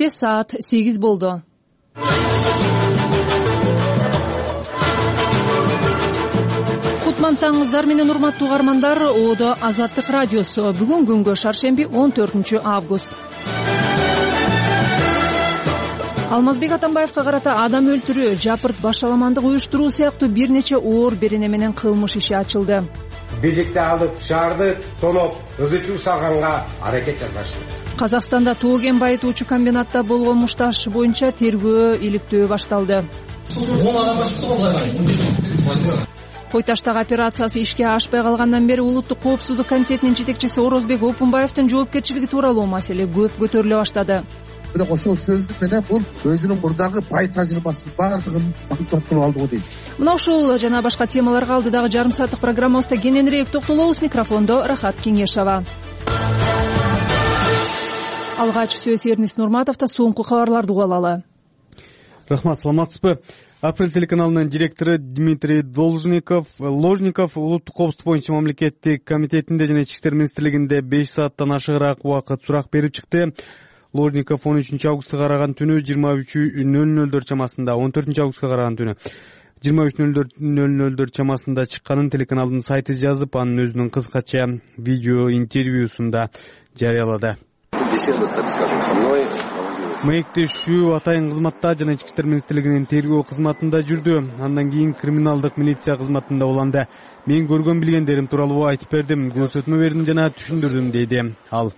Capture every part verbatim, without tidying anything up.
Кенттте саат сегиз болду. Кутман таңыңыздар менен урматтуу угармандар. Оодо Азаттык радиосу. Бүгүн күнгө шаршемби он төртүнчү август. Алмазбек Атамбаевка карата адам өлтүрүү, жапырт башаламандык уюштуруу сыяктуу бир нече оор берене менен кылмыш иши ачылды. Биздикти алып шаарды тоноп, ызы чуу салганга аракет жасашты. Казакстанда тоо кен байытуучу комбинатта болгон мушташ боюнча тергөө иликтөө башталды. Кой таштагы операциясы ишке ашпай калгандан бери Улуттук коопсуздук комитетинин жетекчиси Орозбек Опунбаевдин жоопкерчилиги тууралуу маселе көп көтөрүлө баштады. Бирок ошол сөзү менен бул өзүнүн мурдагы бай тажрыйбасынын баардыгын багыттап алды го дейт. Мына ушул жана башка темаларга алдыдагы жарым сааттык программабызда кененирээк токтолобуз. Микрофондо Рахат Кеңешова. Алгач сөз Эрнис Нурматовдо. Соңку кабарларды угуп алалы. Рахмат, саламатсызбы? Апрель телеканалынын директору Дмитрий Должников Ложников Улуттук коопсуздук боюнча мамлекеттик комитетинде жана Ички иштер министрлигинде беш сааттан ашыгыраак убакыт сурак берип чыкты. Ложников он үчүнчү августка караган түнү жыйырма үч нөл нөлдөр чамасында, он төртүнчү августка караган түнү жыйырма үч нөл нөлдөр чамасында чыкканын телеканалдын сайты жазып, анын өзүнүн кыскача видео интервьюсунда жарыялады. Маектешүү атайын кызматта жана Ички иштер министрлигинин тергөө кызматында жүрдү. Андан кийин криминалдык милиция кызматында уланды. Мен көргөн билгендерим тууралуу айтып бердим, көрсөтмө бердим жана түшүндүрдүм, дейди ал.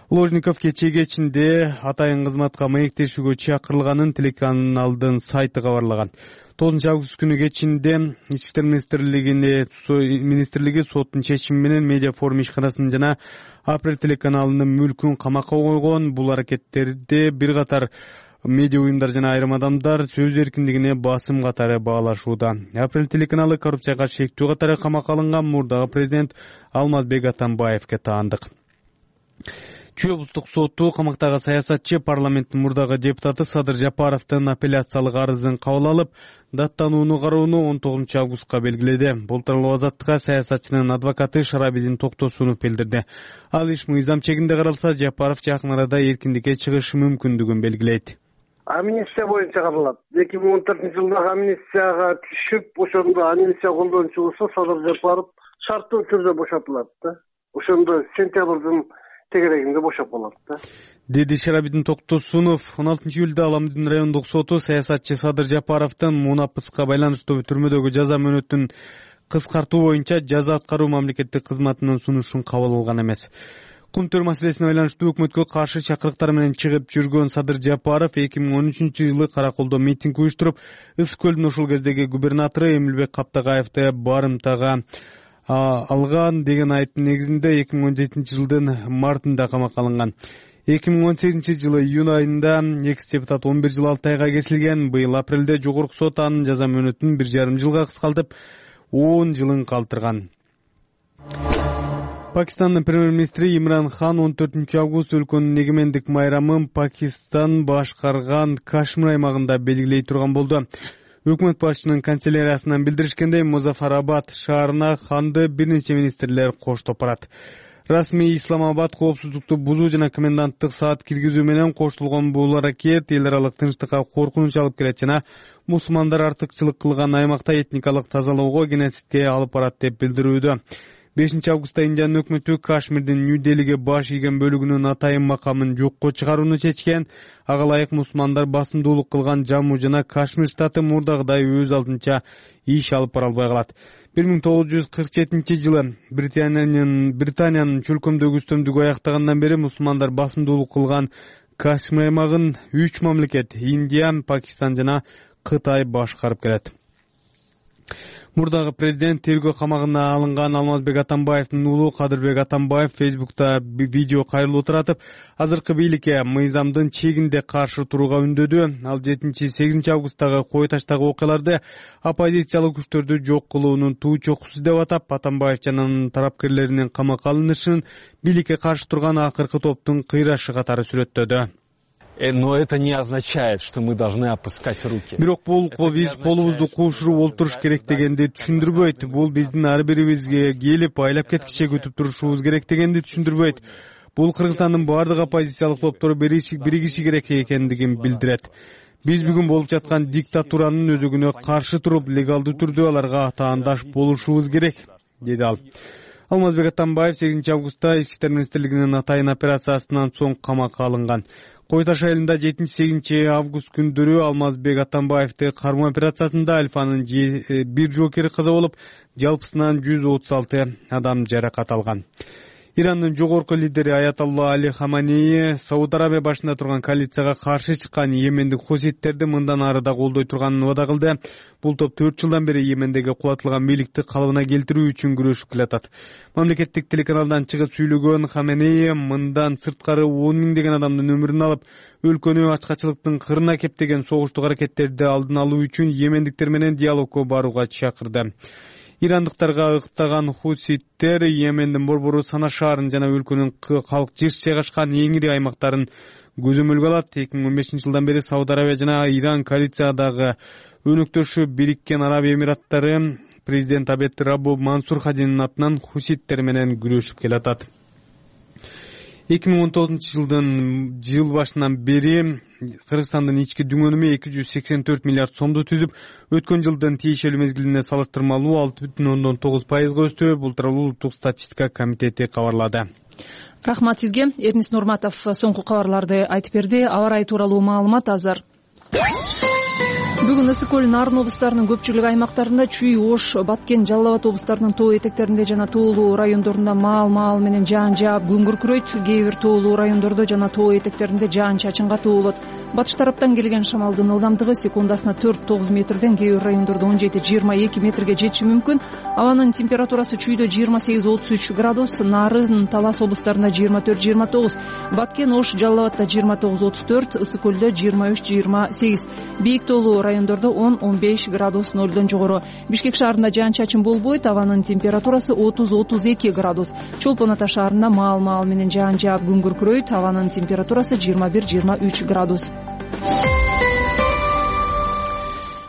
Ложников кечээ кечинде атайын кызматка маектешүүгө чакырылганын телеканалдын сайты кабарлаган. тогузунчу август күнү кечинде Ички иштер министрлигине министрлиги соттун чечими менен медиа форум ишканасынын жана Апрель телеканалынын мүлкүн камакка койгон. Бул аракеттерди бир катар медиа уюмдар жана айрым адамдар сөз эркиндигине басым катары баалашууда. Апрель телеканалы коррупцияга шектүү катары камакка алынган мурдагы президент Алмазбек Атамбаевге таандык. Чүй облустук соту камактагы саясатчы парламенттин мурдагы депутаты Садыр Жапаровдун апелляциялык арызын кабыл алып, даттанууну кароону он тогузунчу августка белгиледи. Бул тууралуу Азаттыкка саясатчынын адвокаты Шарабидин Токтосунов билдирди. Ал иш мыйзам чегинде каралса, Жапаров жакын арада эркиндикке чыгышы мүмкүндүгүн белгилейт. Амнистия боюнча каралат. эки миң он төртүнчү жылдагы амнистияга түшүп, ошондо амнистия колдончу болсо Садыр Жапаров шарттуу түрдө бошотулат да. Ошондо сентябрдын тегерегинде бошоп калат да, деди Шарабидин Токтосунов. он алтынчы июлда Аламудин райондук соту саясатчы Садыр Жапаровдун мунапыска байланыштуу түрмөдөгү жаза мөөнөтүн кыскартуу боюнча жаза аткаруу мамлекеттик кызматынын сунушун кабыл алган эмес. Кум төр маселесине байланыштуу өкмөткө каршы чакырыктар менен чыгып жүргөн Садыр Жапаров эки миң он үчүнчү жылы Караколдо митинг уюштуруп, Ыс көлдүн ошол кездеги губернатору Эмилбек Каптагаевди барымтага алган деген айыптын негизинде эки миң он жетинчи жылдын мартында камакка алынган. эки миң он сегизинчи жылы июнь айында экс депутат он бир жыл алты айга кесилген. Быйыл апрелде жогорку сот анын жаза мөөнөтүн бир жарым жылга кыскартып, он жылын калтырган. Пакистандын премьер-министри Имран Хан он төртүнчү август өлкөнүн эгемендик майрамын Пакистан башкарган Кашмир аймагында белгилей турган болду. Өкмөт башчынын канцеляриясынан билдиришкендей, Музафарабад шаарына Ханды бир нече министрлер коштоп барат. Расмий Исламабад коопсуздукту бузуу жана коменданттык саат киргизүү менен коштолгон бул аракет эл аралык тынчтыкка коркунуч алып келет жана мусулмандар артыкчылык кылган аймакта этникалык тазалоого, геноцидке алып барат деп билдирүүдө. бешинчи августта Индиянын өкмөтү Кашмирдин Нью-Делиге баш ийген бөлүгүнүн атайын макамын жокко чыгарууну чечкен. Ага ылайык мусулмандар басымдуулук кылган Жамму жана Кашмир штаты мурдагыдай өз алдынча иш алып бара албай калат. бир миң тогуз жүз кырк жетинчи жылы Британиянын Британиянын чөлкөмдөгү үстөмдүгү аяктагандан бери мусулмандар басымдуулук кылган Кашмир аймагын үч мамлекет — Индия, Пакистан жана Кытай башкарып келет. Мурдагы президент тергөө камагына алынган Алмазбек Атамбаевдин уулу Кадырбек Атамбаев Фейсбукта видео кайрылуу таратып, азыркы бийликке мыйзамдын чегинде каршы турууга үндөдү. Ал жетинчи сегизинчи августтагы Кой таштагы окуяларды оппозициялык күчтөрдү жок кылуунун туу чокусу деп атап, Атамбаев жана анын тарапкерлеринин камакка алынышын бийликке каршы турган акыркы топтун кыйрашы катары сүрөттөдү. Но это не означает, что мы должны опускать руки. Бирок бул биз колубузду куушуруп олтуруш керек дегенди түшүндүрбөйт. Бул биздин ар бирибизге келип айлап кеткиче күтүп турушубуз керек дегенди түшүндүрбөйт. Бул Кыргызстандын бардык оппозициялык топтору биригиши керек экендигин билдирет. Биз бүгүн болуп жаткан диктатуранын өзөгүнө каршы туруп, легалдуу түрдө аларга таандаш болушубуз керек, деди ал. Алмазбек Атамбаев сегизинчи августта Ички иштер министрлигинин атайын операциясынан соң камакка алынган. Кой Таш айылында жетинчи сегизинчи август күндөрү Алмазбек Атамбаевди кармоо операциясында Альфанын бир жокери каза болуп, жалпысынан жүз отуз алты адам жаракат алган. Ирандын жогорку лидери Аятолла Али Хаманеи Сауд Арабия башында турган коалицияга каршы чыккан йемендик хуситтерди мындан ары да колдой турганын убада кылды. Бул топ төрт жылдан бери Йемендеги кулатылган бийликти калыбына келтирүү үчүн күрөшүп келатат. Мамлекеттик телеканалдан чыгып сүйлөгөн Хаманеи мындан сырткары он миңдеген адамдын өмүрүн алып, өлкөнү ачкачылыктын кырына кептеген согуштук аракеттерди алдын алуу үчүн йемендиктер менен диалогко барууга чакырды. Ирандыктарга ыктаган хуситтер Йемендин борбору Сана шаарын жана өлкөнүн калк жыш жайгашкан эң ири аймактарын көзөмөлгө алат. эки миң он бешинчи жылдан бери Сауд Арабия жана Иран коалициядагы өнөктөшү Бириккен Араб Эмираттары президент Абед Раббу Мансур Хадинин атынан хуситтер менен күрөшүп келатат. эки миң он тогузунчу жылдын жыл башынан бери Кыргызстандын ички дүң өнүмү эки жүз сексен төрт миллиард сомду түзүп, өткөн жылдын тиешелүү мезгилине салыштырмалуу алты бүтүн ондон тогуз пайызга өстү. Бул тууралуу Улуттук статистика комитети кабарлады. Рахмат сизге. Эрнис Нурматов соңку кабарларды айтып берди. Аба ырайы тууралуу маалымат азыр. Бүгүн Ысык көл, Нарын облустарынын көпчүлүк аймактарында, Чүй, Ош, Баткен, Жалал Абад облустарынын тоо этектеринде жана тоолуу райондорунда маал-маал менен жаан жаап күн күркүрөйт. Кээ бир тоолуу райондордо жана тоо этектеринде жаан-чачын катуу болот. Батыш тараптан келген шамалдын ылдамдыгы секундасына төрт тогуз метрден, кээ бир райондордо он жети жыйырма эки метрге жетиши мүмкүн. Абанын температурасы Чүйдө жыйырма сегиз отуз үч градус, Нарын, Талас облустарында жыйырма төрт жыйырма тогуз, Баткен, Ош, Жалал Абадта жыйырма тогуз отуз төрт, Ысык көлдө жыйырма үч жыйырма сегиз. Бийик тоолуу райондордо он он беш градус нолдон жогору. Бишкек шаарында жаан-чачын болбойт, абанын температурасы отуз отуз эки градус. Чолпон Ата шаарында маал-маал менен жаан жаап күн күркүрөйт, абанын температурасы жыйырма бир жыйырма үч градус.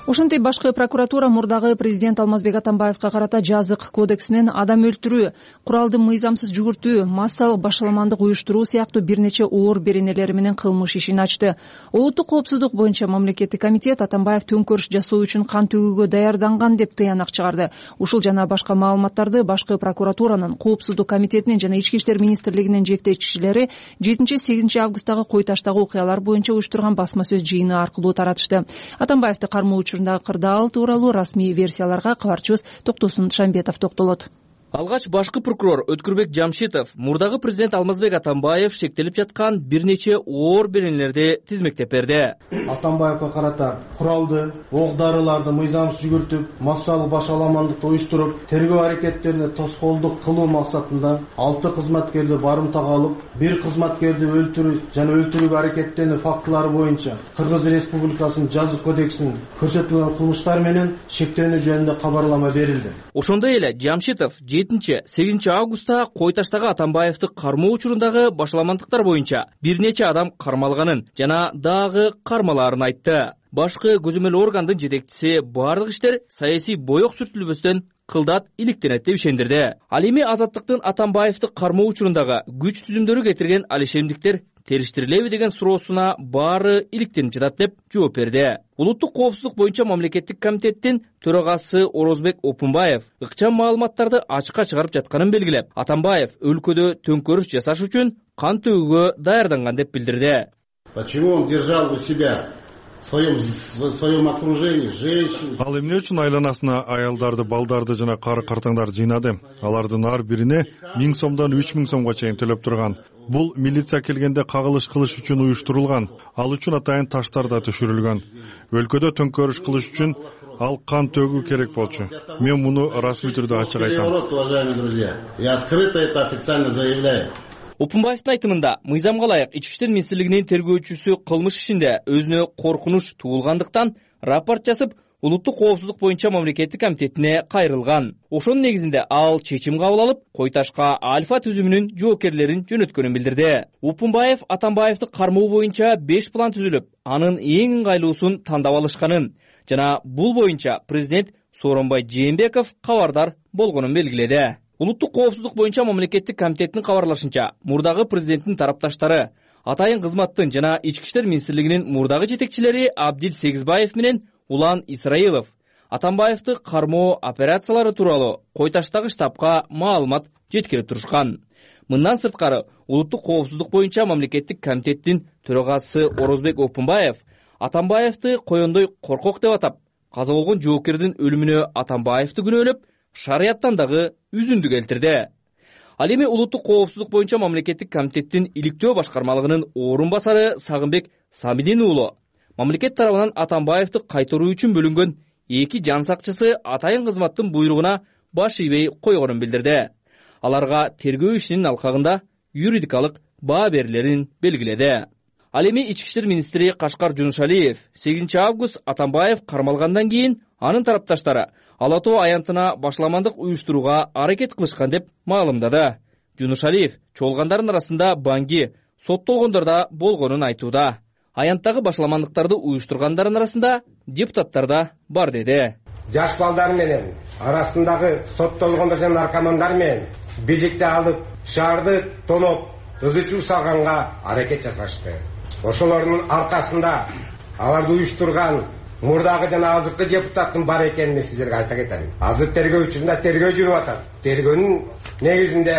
Ошентип башкы прокуратура мурдагы президент Алмазбек Атамбаевга карата жазык кодексинен адам өлтүрүү, куралды мыйзамсыз жүгүртүү, массалык башаламандык уюштуруу сыяктуу бир нече оор беренелери менен кылмыш ишин ачты. Улуттук коопсуздук боюнча мамлекеттик комитет Атамбаев төңкөрүш жасоо үчүн кан төгүүгө даярданган деп тыянак чыгарды. Ушул жана башка маалыматтарды башкы прокуратуранын, коопсуздук комитетинин жана Ички иштер министрлигинин жетекчилери жетинчи сегизинчи августтагы Кой Таштагы окуялар боюнча уюштурган басма сөз жыйыны аркылуу таратышты. Атамбаевди кармоо кырдаал тууралуу расмий версияларга кабарчыбыз Токтосун Шамбетов токтолот. Алгач башкы прокурор Өткүрбек Жамшитов мурдагы президент Алмазбек Атамбаев шектелип жаткан бир нече оор беренелерди тизмектеп берди. Атамбаевга карата куралды, ок-дарыларды мыйзамсыз жүгүртүп, массалык башаламандыкты уюштуруп, тергөө аракеттерине тоскоолдук кылуу максатында алты кызматкерди барымтага алып, бир кызматкерди өлтүрүү жана өлтүрүүгө аракеттенүү фактылары боюнча Кыргыз Республикасынын жазык кодексинин көрсөтүлгөн кылмыштар менен шектенүү жөнүндө кабарлама берилди. Ошондой эле Жамшитов жетинчи сегизинчи августта Кой Таштагы Атамбаевди кармоо учурундагы башаламандыктар боюнча бир нече адам кармалганын жана дагы кармалаарын айтты. Башкы көзөмөл органдын жетекчиси бардык иштер саясий боек сүртүлбөстөн кылдат иликтенет деп ишендирди. Ал эми Азаттыктын Атамбаевди кармоо учурундагы күч түзүмдөрү кетирген алишемдиктер териштирилеби деген суроосуна баары иликтенип жатат деп жооп берди. Улуттук коопсуздук боюнча мамлекеттик комитеттин төрагасы Орозбек Опунбаев ыкчам маалыматтарды ачыкка чыгарып жатканын белгилеп, Атамбаев өлкөдө төңкөрүш жасаш үчүн кан төгүүгө даярданган деп билдирди. Почему он держал у себя в своем, в своем окружении женщин? Ал эмне үчүн айланасына аялдарды, балдарды жана кары картаңдарды жыйнады? Алардын ар бирине миң сомдон үч миң сомго чейин төлөп турган. Бул милиция келгенде кагылыш кылыш үчүн уюштурулган. Ал үчүн атайын таштар да түшүрүлгөн. Өлкөдө төңкөрүш кылыш үчүн ал кан төгүү керек болчу. Мен муну расмий түрдө ачык айтам. Уважаемые друзья, я открыто это официально заявляю. Опунбаевдин айтымында, мыйзамга ылайык Ички иштер министрлигинин тергөөчүсү кылмыш ишинде өзүнө коркунуч туулгандыктан рапорт жазып, Улуттук коопсуздук боюнча мамлекеттик комитетине кайрылган. Ошонун негизинде ал чечим кабыл алып, Кой Ташка Альфа түзүмүнүн жоокерлерин жөнөткөнүн билдирди. Опунбаев Атамбаевди кармоо боюнча беш план түзүлүп, анын эң ыңгайлуусун тандап алышканын жана бул боюнча президент Сооронбай Жээнбеков кабардар болгонун белгиледи. Улуттук коопсуздук боюнча мамлекеттик комитеттин кабарлашынча, мурдагы президенттин тарапташтары Атайын кызматтын жана Ички иштер министрлигинин мурдагы жетекчилери Абдил Сегизбаев менен Улан Исраилов Атамбаевди кармоо операциялары тууралуу Койташтагы штабка маалымат жеткирип турушкан. Мындан сырткары, улуттук коопсуздук боюнча мамлекеттик комитеттин төрагасы Орозбек Опунбаев Атамбаевди коёндой коркок деп атап, каза болгон жоокердин өлүмүнө Атамбаевди күнөөлөп, шарияттан дагы үзүндү келтирди. Ал эми улуттук коопсуздук боюнча мамлекеттик комитеттин иликтөө башкармалыгынын орун басары Сагынбек Самидин уулу мамлекет тарабынан Атамбаевди кайтаруу үчүн бөлүнгөн эки жан сакчысы атайын кызматтын буйругуна баш ийбей койгонун билдирди. Аларга тергөө ишинин алкагында юридикалык баа берилерин белгиледи. Ал эми Ички иштер министри Кашкар Жунушалиев сегизинчи август Атамбаев кармалгандан кийин анын тарапташтары Ала Тоо аянтына башламандык уюштурууга аракет кылышкан деп маалымдады. Жунушалиев чогулгандардын арасында Банги, соттолгондор да болгонун айтууда. Аянттагы башламандыктарды уюштургандардын арасында депутаттар да бар деди. Жаш балдар менен арасындагы соттолгондор жана наркомандар менен бийликти алып, шаарды тоноп, ызы-чуу салганга аракет жасашты. Ошолордун аркасында аларды уюштурган мурдагы жана азыркы депутаттын бар экенин мен сиздерге айта кетем. Азыр тергөө учурунда тергөө жүрүп атат. Тергөөнүн негизинде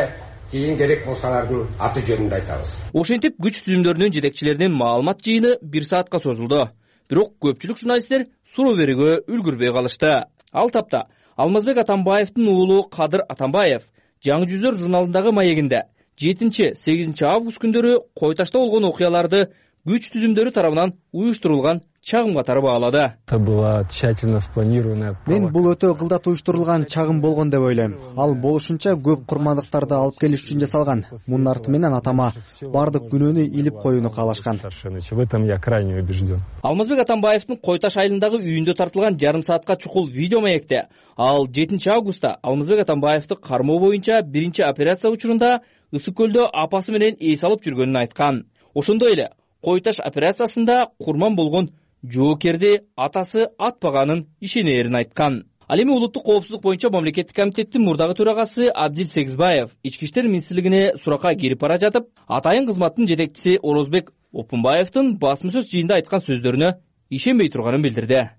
кийин керек болсалардын аты жөнүндө айтабыз. Ошентип күч түзүмдөрүнүн жетекчилеринин маалымат жыйыны бир саатка созулду. Бирок көпчүлүк журналисттер суроо берүүгө үлгүрбөй калышты. Ал тапта Алмазбек Атамбаевдин уулу Кадыр Атамбаев Жаңы жүздөр журналындагы маегинде жетинчи-сегизинчи август күндөрү Койташта болгон окуяларды күч түзүмдөрү тарабынан уюштурулган чагым катары баалады. Это была тщательно спланированная. Мен бул өтө кылдат уюштурулган чагым болгон деп ойлойм. Ал болушунча көп курмандыктарды алып келиш үчүн жасалган. Мунун арты менен атама бардык күнөөнү илип коюуну каалашкан. В этом я крайне убежден. Алмазбек Атамбаевдин Койташ айылындагы үйүндө тартылган жарым саатка чукул видео маекте ал жетинчи августта Алмазбек Атамбаевди кармоо боюнча биринчи операция учурунда Ысык көлдө апасы менен эс алып жүргөнүн айткан. Ошондой эле Койташ операциясында курман болгон жоокерди атасы атпаганын ишенерин айткан. Ал эми улуттук коопсуздук боюнча мамлекеттик комитеттин мурдагы төрагасы Абдил Сегизбаев Ички иштер министрлигине суракка кирип бара жатып, атайын кызматтын жетекчиси Орозбек Опунбаевдин басма сөз жыйында айткан сөздөрүнө ишенбей турганын билдирди.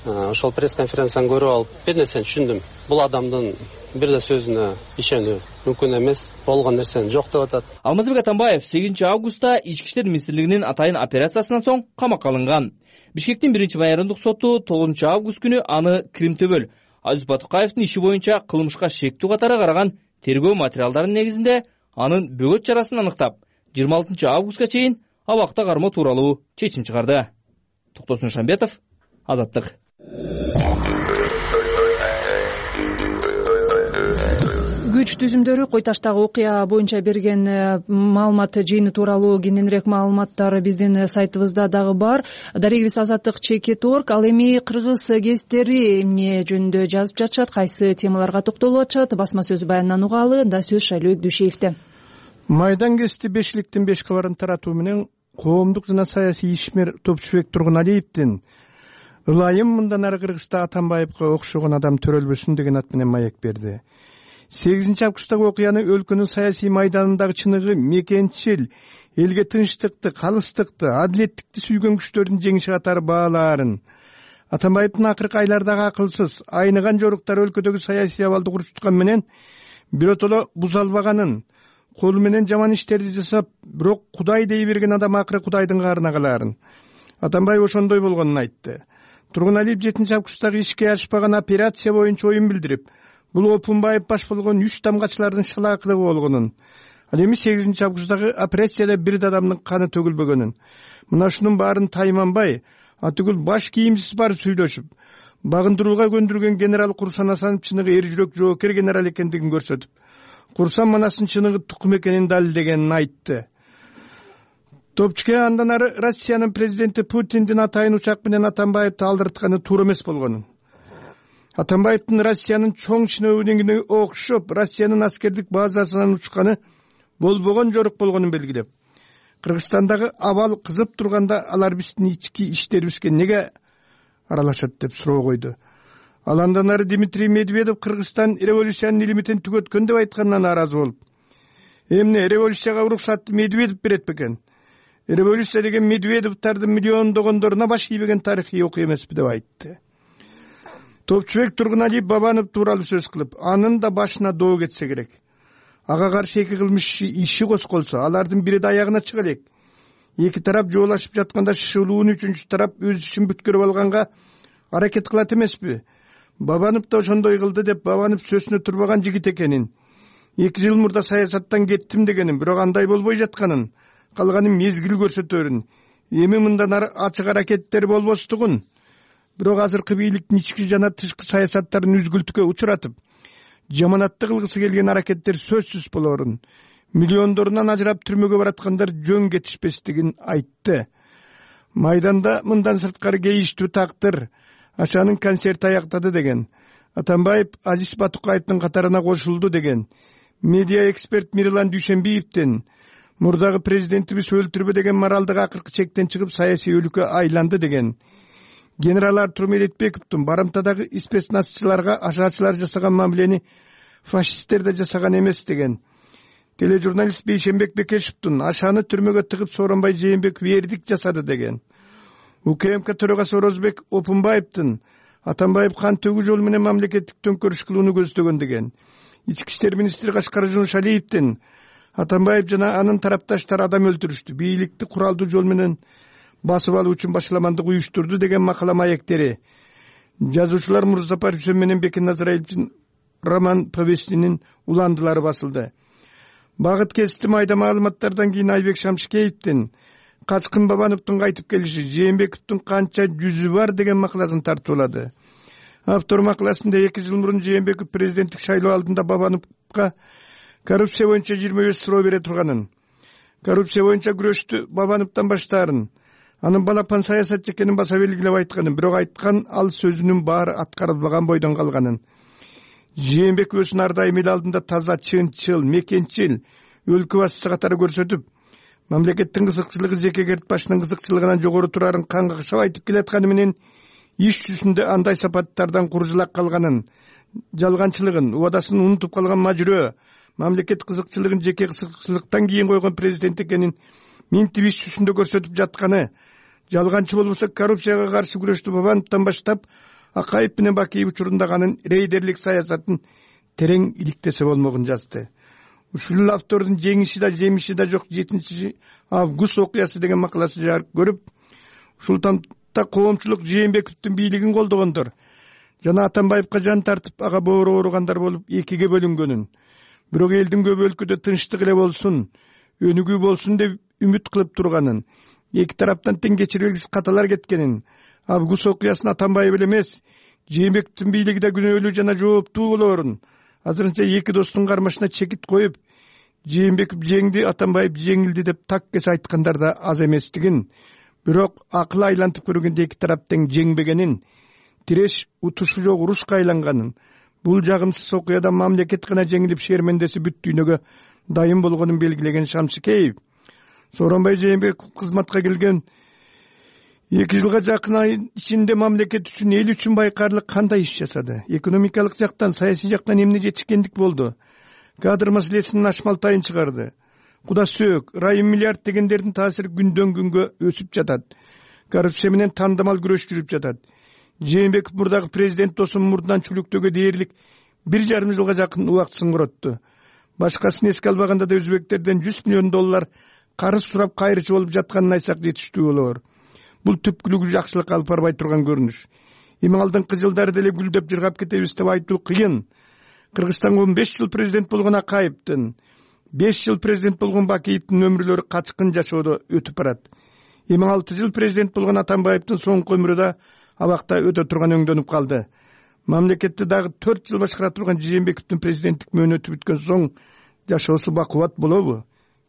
Ошол пресс-конференцияны көрүп алып, бир нерсени түшүндүм. Бул адамдын бир да сөзүнө ишенүү мүмкүн эмес, болгон нерсени жок деп атат. Алмазбек Атамбаев сегизинчи августта Ички иштер министрлигинин атайын операциясынан соң камакка алынган. Бишкектин биринчи майорындык соту тогузунчу август күнү аны Кримтөбөл Азиз Батукаевдин иши боюнча кылмышка шектүү катары караган тергөө материалдарынын негизинде анын бөгөт чарасын аныктап, жыйырма алтынчы августка чейин абакта кармоо тууралуу чечим чыгарды. Токтосун Шамбетов, Азаттык. Күч түзүмдөрү Койташтагы окуя боюнча берген маалымат жыйыны тууралуу кененирээк маалыматтар биздин сайтыбызда дагы бар. Дарегибиз Азаттык чекит точка орг. Ал эми кыргыз гезиттери эмне жөнүндө жазып жатышат, кайсы темаларга токтолуп атышат? Басма сөз баянынан угалы. Да сөз Шайлообек Дүйшеевде. Майдан гезити бешиликтин беш кабарын таратуу менен коомдук жана саясий ишмер Топчубек Тургуналиевдин ылайым мындан ары Кыргызста Атамбаевга окшогон адам төрөлбөсүн деген ат менен маек берди. сегизинчи августтагы окуяны өлкөнүн саясий майданындагы чыныгы мекенчил, элге тынчтыкты, калыстыкты, адилеттикти сүйгөн күчтөрдүн жеңиши катары баалаарын, Атамбаевдин акыркы айлардагы акылсыз, айныган жоруктары өлкөдөгү саясий абалды курчуткан менен биротоло буза албаганын, колу менен жаман иштерди жасап, бирок Кудай дей берген адам акыры Кудайдын каарына калаарын Атамбаев ошондой болгонун айтты. Тургуналиев жетинчи августтагы ишке ашпаган операция боюнча оюн билдирип, бул Опунбаев баш болгон үч тамгачылардын шалаакылыгы болгонун, ал эми сегизинчи августтагы операцияда бир да адамдын каны төгүлбөгөнүн, мына ушунун баарын тайманбай, атүгүл баш кийимсиз барып сүйлөшүп, багындырууга көндүргөн генерал Курсан Асанов чыныгы эр жүрөк жоокер генерал экендигин көрсөтүп, Курсан манастын чыныгы тукум экенин далилдегенин айтты. Топчке андан ары Россиянын президенти Путиндин атайын учак менен Атамбаевди алдыртканы туура эмес болгонун, Атамбаевдин Россиянын чоң шенеунигине окшоп Россиянын аскердик базасынан учканы болбогон жорук болгонун белгилеп, Кыргызстандагы абал кызып турганда алар биздин ички иштерибизге неге аралашат деп суроо койду. Ал андан ары Дмитрий Медведев Кыргызстан революциянын илимитин түгөткөн деп айтканынан нааразы болуп, эмне революцияга уруксатты Медведев берет бекен? Революция деген Медведевдардын миллиондогондоруна баш ийбеген тарыхый окуя эмеспи деп айтты. Топчубек Тургуналиев Бабанов тууралуу сөз кылып, анын да башына доо кетсе керек. Ага каршы эки кылмыш иши козголсо, алардын бири да аягына чыга элек. Эки тарап жоолашып жатканда шылуун үчүнчү тарап өз ишин бүткөрүп алганга аракет кылат эмеспи? Бабанов да ошондой кылды деп Бабанов сөзүнө турбаган жигит экенин, эки жыл мурда саясаттан кеттим дегенин, бирок андай болбой жатканын, калганы мезгил көрсөтөрүн, эми мындан ары ачык аракеттер болбостугун, бирок азыркы бийликтин ички жана тышкы саясаттарын үзгүлтүккө учуратып, жаманатты кылгысы келген аракеттер сөзсүз болорун, миллиондорунан ажырап түрмөгө бараткандар жөн кетишпестигин айтты. Майданда мындан сырткары кейиштүү тактыр, Ашанын концерти аяктады деген. Атамбаев Азиз Батукаевдин катарына кошулду деген. Медиа эксперт Мирлан Дүйшөнбиевдин мурдагы президентибиз өлтүрбө деген моралдык акыркы чектен чыгып саясий өлүккө айланды деген. Генерал Артур Медетбековдун барымтадагы спецназчыларга ашаачылар жасаган мамилени фашисттер да жасаган эмес деген. Тележурналист Бейшенбек Бекешевдин Ашаны түрмөгө тыгып Сооронбай Жээнбеков вердикт жасады деген. УКМК төрагасы Орозбек Опунбаевдин Атамбаев кан төгүү жолу менен мамлекеттик төңкөрүш кылууну көздөгөн деген. Ички иштер министри Кашкар Жунушалиевдин Атамбаев жана анын тарапташтары адам өлтүрүштү, бийликти куралдуу жол менен басып алуу үчүн башаламандык уюштурду деген макала маектери. Жазуучулар Мурзапар Үсен менен Бекен Назарбаевдин роман повестинин уландылары басылды. Багыт кести майда маалыматтардан кийин Айбек Шамшикеевдин Качкын Бабановдун кайтып келиши, Жээнбековдун канча жүзү бар деген макаласын тартуулады. Автор макаласында эки жыл мурун Жээнбеков президенттик шайлоо алдында Бабановго коррупция боюнча жыйырма беш суроо бере турганын, коррупция боюнча күрөштү Бабановдон баштаарын, анын балапан саясатчы экенин баса белгилеп айтканын, бирок айткан ал сөзүнүн баары аткарылбаган бойдон калганын. Жээнбеков өзүн ар дайым эл алдында таза, чынчыл, мекенчил, өлкө башчысы катары көрсөтүп, мамлекеттин кызыкчылыгы жекегерт башынын кызыкчылыгынан жогору турарын кан какшап айтып келатканы менен иш жүзүндө андай сапаттардан куржулак калганын, жалганчылыгын, убадасын унутуп калган мажүрөө, мамлекет кызыкчылыгын жеке кызыкчылыктан кийин койгон президент экенин минтип иш жүзүндө көрсөтүп жатканы, жалганчы болбосо коррупцияга каршы күрөштү Бабановдон баштап Акаев менен Бакиев учурундаганын рейдерлик саясатын терең иликтесе болмогун жазды. Ушул автордун жеңиши да жемиши да жок жетинчи август окуясы деген макаласы жарык көрүп, ушул тамда коомчулук Жээнбековдун бийлигин колдогондор жана Атамбаевка жан тартып ага боору ооругандар болуп экиге бөлүнгөнүн, бирок элдин көп өлкөдө тынчтык эле болсун, өнүгүү болсун деп үмүт кылып турганын, эки тараптан тең кечирбегис каталар кеткенин, август окуясын Атамбаев эле эмес, Жээнбековдун бийлиги да күнөөлүү жана жооптуу болоорун, азырынча эки достун кармашына чекит коюп, Жээнбеков жеңди, Атамбаев жеңилди деп так кес айткандар да аз эместигин, бирок акыл айлантып көргөндө эки тарап тең жеңбегенин, тиреш утушу жок урушка айланганын, бул жагымсыз окуяда мамлекет гана жеңилип шермендеси бүт дүйнөгө дайым болгонун белгилеген Шамшикеев, Сооронбай Жээнбеков кызматка келген эки жылга жакын ай ичинде мамлекет үчүн, эл үчүн байкарлык кандай иш жасады? Экономикалык жактан, саясий жактан эмне жетишкендик болду? Кадр маселесинин ашмалтайын чыгарды. Куда сөөк, райым миллиард дегендердин таасири күндөн күнгө өсүп жатат. Коррупция менен тандамал күрөш жүрүп жатат. Жээнбеков мурдагы президент досун мурдунан чүлүктөөгө дээрлик бир жарым жылга жакын убактысын коротту. Башкасын эске албаганда да өзбектерден жүз миллион доллар карыз сурап кайрычы болуп жатканын айтсак жетиштүү болор. Бул түпкүлүгү жакшылык алып барбай турган көрүнүш. Эми алдыңкы жылдары деле гүлдөп жыргап кетебиз деп айтуу кыйын. Кыргызстанга он беш жыл президент болгон Акаевдин, беш жыл президент болгон Бакиевдин өмүрлөрү качкын жашоодо өтүп барат. Эми алты жыл президент болгон Атамбаевдин соңку өмүрү да абакта өтө турган өңдөнүп калды. Мамлекетти дагы төрт жыл башкара турган Жээнбековдун президенттик мөөнөтү бүткөн соң жашоосу бакубат болобу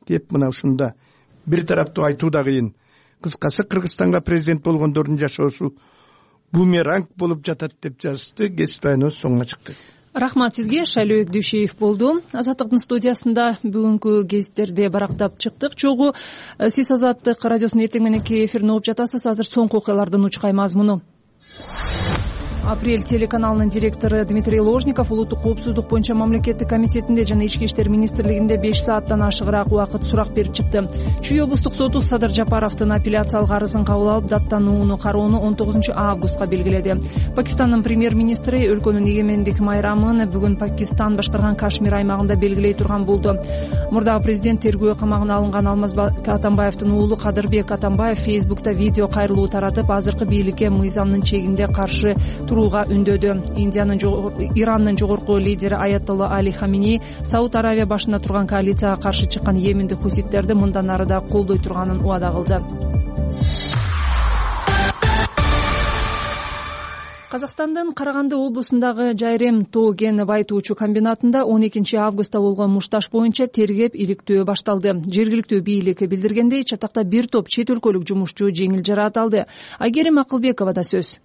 деп мына ушунда бир тараптуу айтуу да кыйын. Кыскасы, Кыргызстанга президент болгондордун жашоосу бумеранг болуп жатат деп жазды. Кесип байныбыз соңуна чыкты. Рахмат сизге. Шайлообек Дүйшеев болду. Азаттыктын студиясында бүгүнкү гезиттерди барактап чыктык. Чогуу сиз Азаттык радиосунун эртең мененки эфирин угуп жатасыз. Азыр соңку окуялардын учкай мазмуну. Апрель телеканалынын директору Дмитрий Ложников улуттук коопсуздук боюнча мамлекеттик комитетинде жана ички иштер министрлигинде беш сааттан ашыгыраак убакыт сурак берип чыкты. Чүй облустук соту Садыр Жапаровдун апелляциялык арызын кабыл алып, даттанууну кароону он тогузунчу августка белгиледи. Пакистандын премьер-министри өлкөнүн эгемендик майрамын бүгүн Пакистан башкарган Кашмир аймагында белгилей турган болду. Мурдагы президент тергөө камагына алынган Алмазбек Атамбаевдин уулу Кадырбек Атамбаев Фейсбукта видео кайрылуу таратып, азыркы бийликке мыйзамдын чегинде каршы турууга үндөдү. Индиянын Ирандын жогорку лидери Аятолла Али Хамини Сауд Аравия башында турган коалицияга каршы чыккан йемендик хуситтерди мындан ары да колдой турганын убада кылды. Казакстандын Караганды облусундагы Жайрем тоо кен байытуучу комбинатында он экинчи августта болгон мушташ боюнча тергеп иликтөө башталды. Жергиликтүү бийлик билдиргендей, чатакта бир топ чет өлкөлүк жумушчу жеңил жараат алды. Айгерим Акылбековада сөз.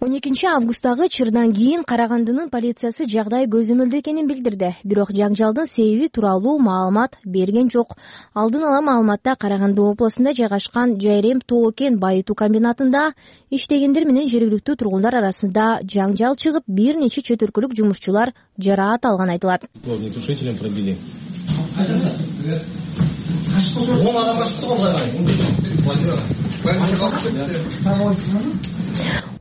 он экинчи августтагы чырдан кийин Карагандынын полициясы жагдай көзөмөлдүү экенин билдирди. Бирок жаңжалдын себеби тууралуу маалымат берген жок. Алдын ала маалыматта Караганды облусунда жайгашкан Жайрем тоо кен байытуу комбинатында иштегендер менен жергиликтүү тургундар арасында жаңжал чыгып, бир нече чет өлкөлүк жумушчулар жараат алган айтылат. Огнетушителем пробили.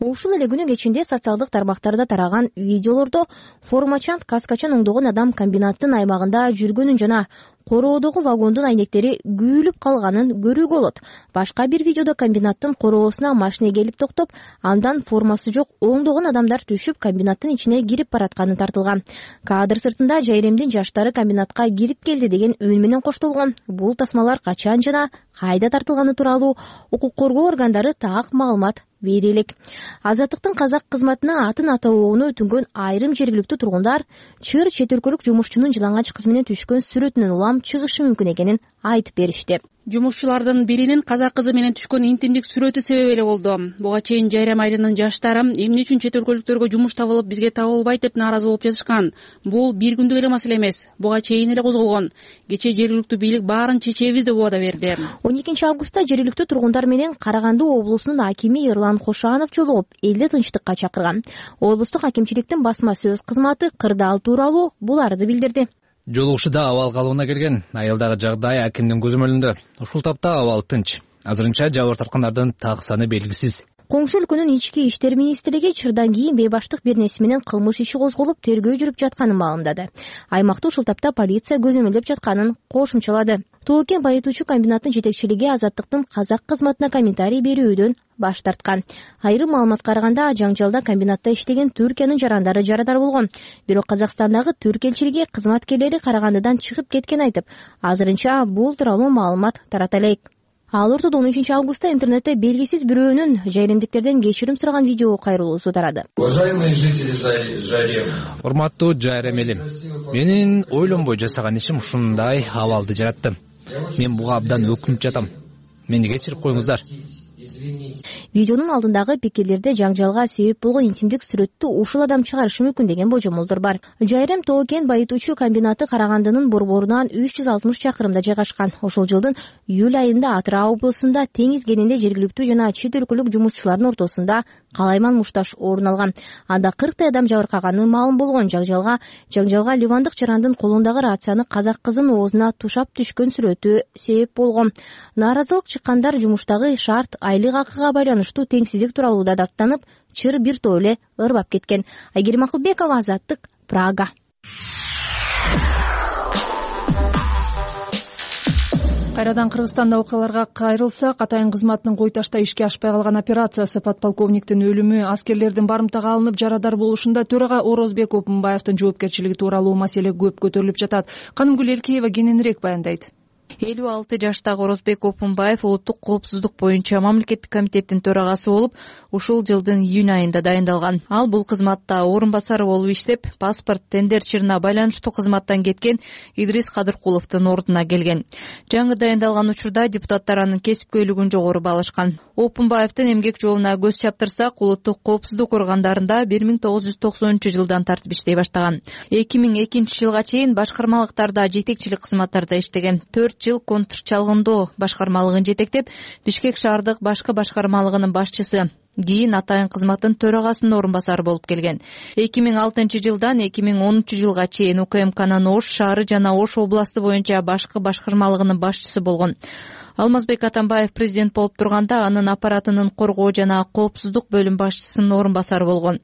Ушул эле күнү кечинде социалдык тармактарда тараган видеолордо формачан, каскачан оңдогон адам комбинаттын аймагында жүргөнүн жана короодогу вагондун айнектери күйүлүп калганын көрүүгө болот. Башка бир видеодо комбинаттын короосуна машина келип токтоп, андан формасы жок оңдогон адамдар түшүп, комбинаттын ичине кирип баратканы тартылган. Кадр сыртында Жайремдин жаштары комбинатка кирип келди деген үн менен коштолгон. Бул тасмалар качан жана кайда тартылганы тууралуу укук коргоо органдары так маалымат бере элек. Азаттыктын казак кызматына атын атоону өтүнгөн айрым жергиликтүү тургундар чыр чет өлкөлүк жумушчунун жылаңач кыз менен түшкөн сүрөтүнөн улам чыгышы мүмкүн экенин айтып беришти. Жумушчулардын биринин казак кызы менен түшкөн интимдик сүрөтү себеп эле болду. Буга чейин Жайрем айылынын жаштары эмне үчүн чет өлкөлүктөргө жумуш табылып, бизге табылбайт деп нааразы болуп жатышкан. Бул бир күндүк эле маселе эмес. Буга чейин эле козголгон. Кечээ жергиликтүү бийлик баарын чечебиз деп убада берди. он экинчи августта жергиликтүү тургундар менен Караганды облусунун акими Эрлан Кошанов жолугуп, элди тынчтыкка чакырган. Облустук акимчиликтин басма сөз кызматы кырдаал тууралуу буларды билдирди. Жолугушуда абал калыбына келген. Айылдагы жагдай акимдин көзөмөлүндө. Ушул тапта абал тынч. Азырынча жабыр тарткандардын так саны белгисиз. Коңшу өлкөнүн ички иштер министрлиги чырдан кийин бейбаштык бир нерсе менен кылмыш иши козголуп, тергөө жүрүп жатканын маалымдады. Аймакты ушул тапта полиция көзөмөлдөп жатканын кошумчалады. Тоо кен байытуучу комбинаттын жетекчилиги Азаттыктын казак кызматына комментарий берүүдөн баш тарткан. Айрым маалыматка караганда, жаңжалда комбинатта иштеген Түркиянын жарандары жарадар болгон. Бирок Казакстандагы түрк элчилиги кызматкерлери Карагандыдан чыгып кеткен айтып, азырынча бул тууралуу маалымат тарата элек. Ал ортодо он үчүнчү августта интернетте белгисиз бирөөнүн жайремдиктерден кечирим сураган видео кайрылуусу тарады. Уважаемые жители Жайрем. Урматтуу Жайрем элим. Менин ойлонбой жасаган ишим ушундай абалды жаратты. Мен буга абдан өкүнүп жатам. Мени кечирип коюңуздар. Видеонун алдындагы пикирлерде жаңжалга себеп болгон интимдик сүрөттү ушул адам чыгарышы мүмкүн деген божомолдор бар. Жайрем тоо кен байытуучу комбинаты Карагандынын борборунан үч жүз алтымыш чакырымда жайгашкан. Ошол жылдын июль айында Атырау облусунда теңиз кенинде жергиликтүү жана чет өлкөлүк жумушчулардын ортосунда калайман мушташ орун алган. Анда кырктай адам жабыркаганы маалым болгон. Жаңжалга жаңжалга ливандык жарандын колундагы рацияны казак кызынын оозуна тушап түшкөн сүрөтү себеп болгон. Нааразылык чыккандар жумуштагы шарт айлык акыга байланыштуу теңсиздик тууралуу да даттанып, чыр бир топ эле ырбап кеткен. Айгерим Акылбекова, Азаттык, Прага. Кайрадан Кыргызстанда окуяларга кайрылсак, Атайын кызматынын кой ташта ишке ашпай калган операциясы, подполковниктин өлүмү, аскерлердин барымтага алынып жарадар болушунда төрага Орозбек Опунбаевдин жоопкерчилиги тууралуу маселе көп көтөрүлүп жатат. Канымгүл Эркеева кененирээк баяндайт. элүү алты жаштагы Орозбек Опунбаев улуттук коопсуздук боюнча мамлекеттик комитеттин төрагасы болуп, ушул жылдын июнь айында дайындалган. Ал бул кызматта орун басары болуп иштеп, паспорт тендер чырына байланыштуу кызматтан кеткен Идрис Кадыркуловдун ордуна келген. Жаңы дайындалган учурда депутаттар анын кесипкөйлүгүн жогору баалашкан. Опунбаевдин эмгек жолуна көз чаптырсак, улуттук коопсуздук органдарында бир миң тогуз жүз токсонунчу жылдан тартып иштей баштаган. эки миң экинчи жылга чейин башкармалыктарда жетекчилик кызматтарда иштеген. төрт жыл контрчалгындоо башкармалыгын жетектеп, Бишкек шаардык башкы башкармалыгынын башчысы, кийин атайын кызматтын төрагасынын орун басары болуп келген. эки миң алтынчы жылдан эки миң онунчу жылга чейин УКМКнын Ош шаары жана Ош областы боюнча башкы башкармалыгынын башчысы болгон. Алмазбек Атамбаев президент болуп турганда анын аппаратынын коргоо жана коопсуздук бөлүм башчысынын орун басары болгон.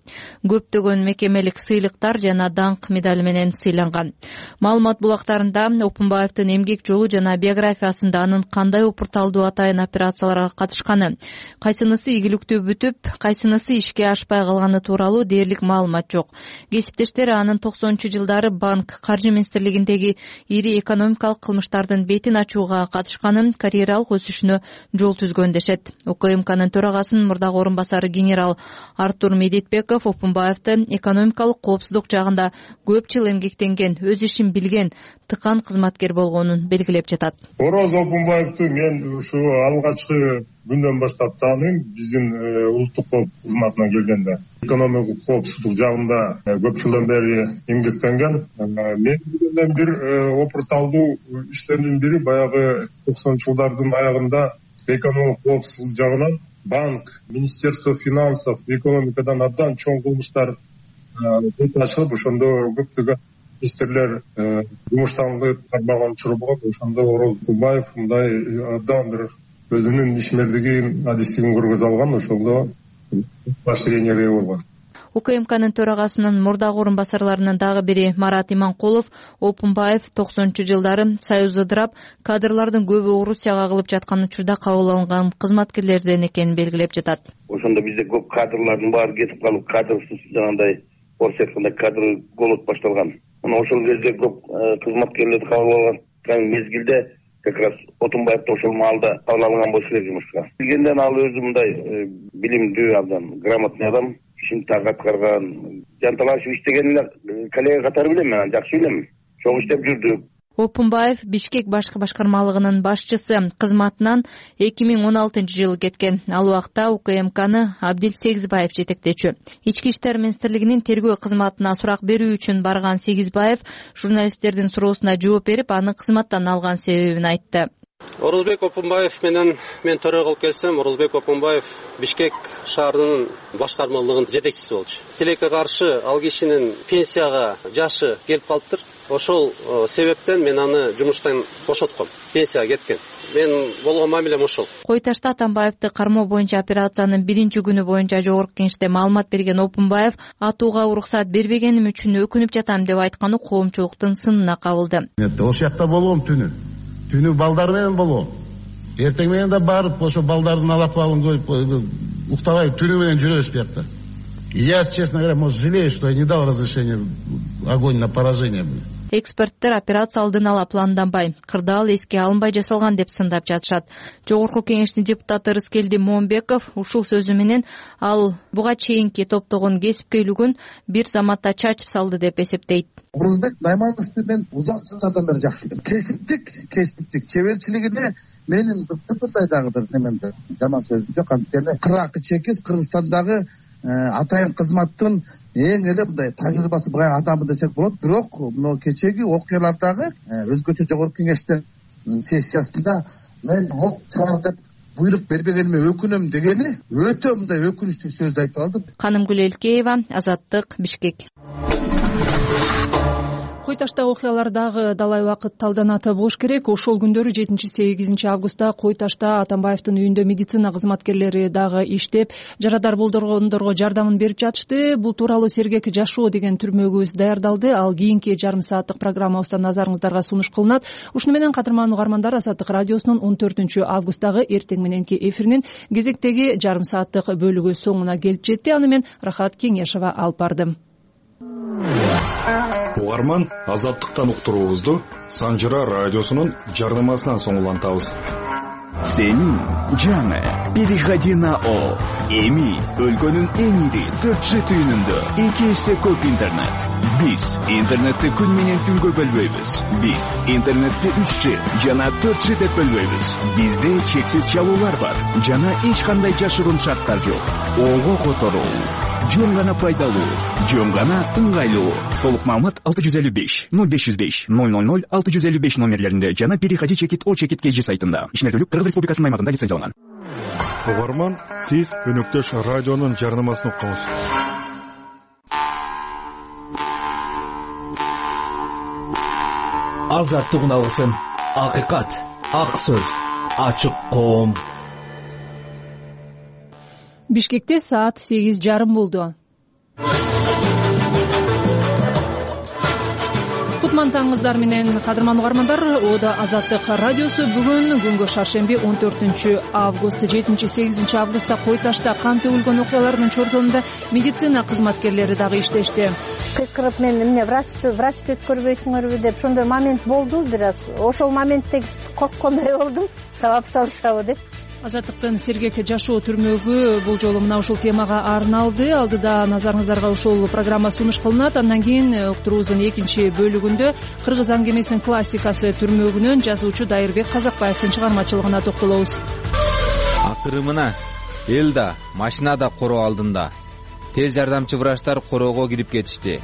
Көптөгөн мекемелик сыйлыктар жана даңк медали менен сыйланган. Маалымат булактарында Опунбаевдин эмгек жолу жана биографиясында анын кандай упурталдуу атайын операцияларга катышканы, кайсынысы ийгиликтүү бүтүп, кайсынысы ишке ашпай калганы тууралуу дээрлик маалымат жок. Кесиптештери анын токсонунчу жылдары банк, каржы министрлигиндеги ири экономикалык кылмыштардын бетин ачууга катышканын, карьералык өсүшүнө жол түзгөн дешет. УКМКнын төрагасынын мурдагы орун басары генерал Артур Медетбеков Опунбаевди экономикалык коопсуздук жагында көп жыл эмгектенген, өз ишин билген, тыкан кызматкер болгонун белгилеп жатат. Ороз Опунбаевди мен ушу алгачкы күндөн баштап тааныйм. Биздин улуттук кооп кызматына келгенде экономикалык коопсуздук жагында көп жылдан бери эмгектенген. Мен билгенден бир опурталдуу иштердин бири баягы токсонунчу жылдардын аягында экономикалык коопсуздук жагынан банк, Министерство финансов, экономикадан абдан чоң кылмыштар ачылып, ошондо көптөгөн министрлер жумуштанып барбаган учур болгон. Ошондо Ороз Опунбаев мындай абдан бир өзүнүн ишмердигин, адистигин көргөзө алган, ошондо поощрениеге ээ болгон. УКМКнын төрагасынын мурдагы орун басарларынын дагы бири Марат Иманкулов Опунбаев токсонунчу жылдары Союз ыдырап, кадрлардын көбү Орусияга кагылып жаткан учурда кабыл алынган кызматкерлерден экенин белгилеп жатат. Ошондо бизде көп кадрлардын баары кетип калып, кадрсыз жанагындай орус айтканда кадр голод башталган. Мына ошол кезде көп кызматкерлерди кабыл алган мезгилде как раз Опунбаевди ошол маалда кабыл алган болуш керек жумушка. Билгенден ал өзү мындай билимдүү, абдан грамотный адам, ишин так аткарган, жанталашып иштеген эле коллега катары билем, мен жакшы билем. Чоң иштеп жүрдүк. Опунбаев Бишкек башкы башкармалыгынын башчысы кызматынан эки миң он алтынчы жылы кеткен. Ал убакта УКМКны Абдил Сегизбаев жетектечү. Ички иштер министрлигинин тергөө кызматына сурак берүү үчүн барган Сегизбаев журналисттердин суроосуна жооп берип, аны кызматтан алган себебин айтты. Орозбек Опунбаев менен мен төрөгө алып келсем, Орозбек Опунбаев Бишкек шаарынын башкармалыгынын жетекчиси болчу. Тилекке каршы ал кишинин пенсияга жашы келип калыптыр. Ошол себептен мен аны жумуштан бошотком. Пенсияга кеткен. Мен болгон мамилем ошол. Кой Ташта Атамбаевди кармоо боюнча операциянын биринчи күнү боюнча жогорку кеңеште маалымат берген Опунбаев атууга уруксат бербегеним үчүн өкүнүп жатам деп айтканы коомчулуктун сынына кабылды. Ошол жакта болгом түнү. Түнү балдар менен болгом. Эртең менен да барып ошо балдардын алакыбалын коюп уктабай түнү менен жүрөбүз биякта. Я, честно говоря, может, жалею, что я не дал разрешение огонь на поражение. Эксперттер операция алдын ала планданбай, кырдаал эске алынбай жасалган деп сындап жатышат. Жогорку кеңештин депутаты Рыскелди Момбеков ушул сөзү менен ал буга чейинки топтогон кесипкөйлүгүн бир заматта чачып салды деп эсептейт. Орозбек Наймановду мен узак жылдардан бери жакшы билем. Кесиптик, кесиптик чеберчилигине менин мындай дагы бир немемде жаман сөзүм жок. Анткени кыракы чекиз Кыргызстандагы атайын кызматтын эң эле мындай тажрыйбасы бай адамы десек болот. Бирок мына кечеги окуялардагы өзгөчө жогорку кеңештин сессиясында мен ок чыгар деп буйрук бербегениме өкүнөм дегени өтө мындай өкүнүчтүү сөздү айтып алды. Канымгүл Элкеева, Азаттык, Бишкек. Кой Ташта окуялар дагы далай убакыт талданата болуш керек. Ошол күндөрү жетинчи сегизинчи августта Кой Ташта Атамбаевдин үйүндө медицина кызматкерлери дагы иштеп, жарадар болдоргондорго жардамын берип жатышты. Бул тууралуу Сергек жашоо деген түрмөгүбүз даярдалды. Ал кийинки жарым сааттык программабызда назарыңыздарга сунуш кылынат. Ушуну менен кадырман угармандар, Азаттык радиосунун он төртүнчү августтагы эртең мененки эфиринин кезектеги жарым сааттык бөлүгү соңуна келип жетти. Аны мен Рахат Кеңешова алып бардым. Угарман, Азаттыктан уктуруубузду Санжыра радиосунун жардамасынан соң улантабыз. Сенин жаңы переходи на О. Эми өлкөнүн эң ири төрт жи түйүнүндө эки эсе көп интернет. Биз интернетти күн менен түнгө бөлбөйбүз. Биз интернетти үч жи жана төрт жи деп бөлбөйбүз. Бизде чексиз чалуулар бар жана эч кандай жашыруун шарттар жок. Ого которуу жөн гана пайдалуу, жөн гана ыңгайлуу. Толук маалымат алты жүз элүү беш ноль беш жүз беш ноль ноль ноль алты жүз элүү беш номерлеринде жана переходи чекит О чекит кей жи сайтында. Ишмердүүлүк Кыргыз Республикасынын аймагында лицензияланган. угарман, сиз Өнөктөш радионун жарнамасын укуңуз. Азаттыгын алгысың, акыйкат, ак сөз, ачык коом. Бишкекте саат сегиз жарым болду. Кутман таңыңыздар менен кадырман угармандар. Ода Азаттык радиосу бүгүн күнгө шаршемби он төртүнчү август жетинчи сегизинчи августта Кой Ташта кан төгүлгөн окуялардын чордонунда медицина кызматкерлери дагы иштешти. Кыйкырып мен эмне врачты врачты өткөрбөйсүңөрбү деп ошондой момент болду бир аз. Ошол моментте корккондой болдум. Сабап салышабы деп. Азаттыктын сергек жашоо түрмөгү бул жолу мына ушул темага арналды. Алдыда назарыңыздарга ушул программа сунуш кылынат. Андан кийин уктуруубуздун экинчи бөлүгүндө кыргыз аңгемесинин классикасы түрмөгүнөн жазуучу Дайырбек Казакбаевдин чыгармачылыгына токтолобуз. Акырымына эл да, машина да короо алдында. Тез жардамчы врачтар короого кирип кетишти.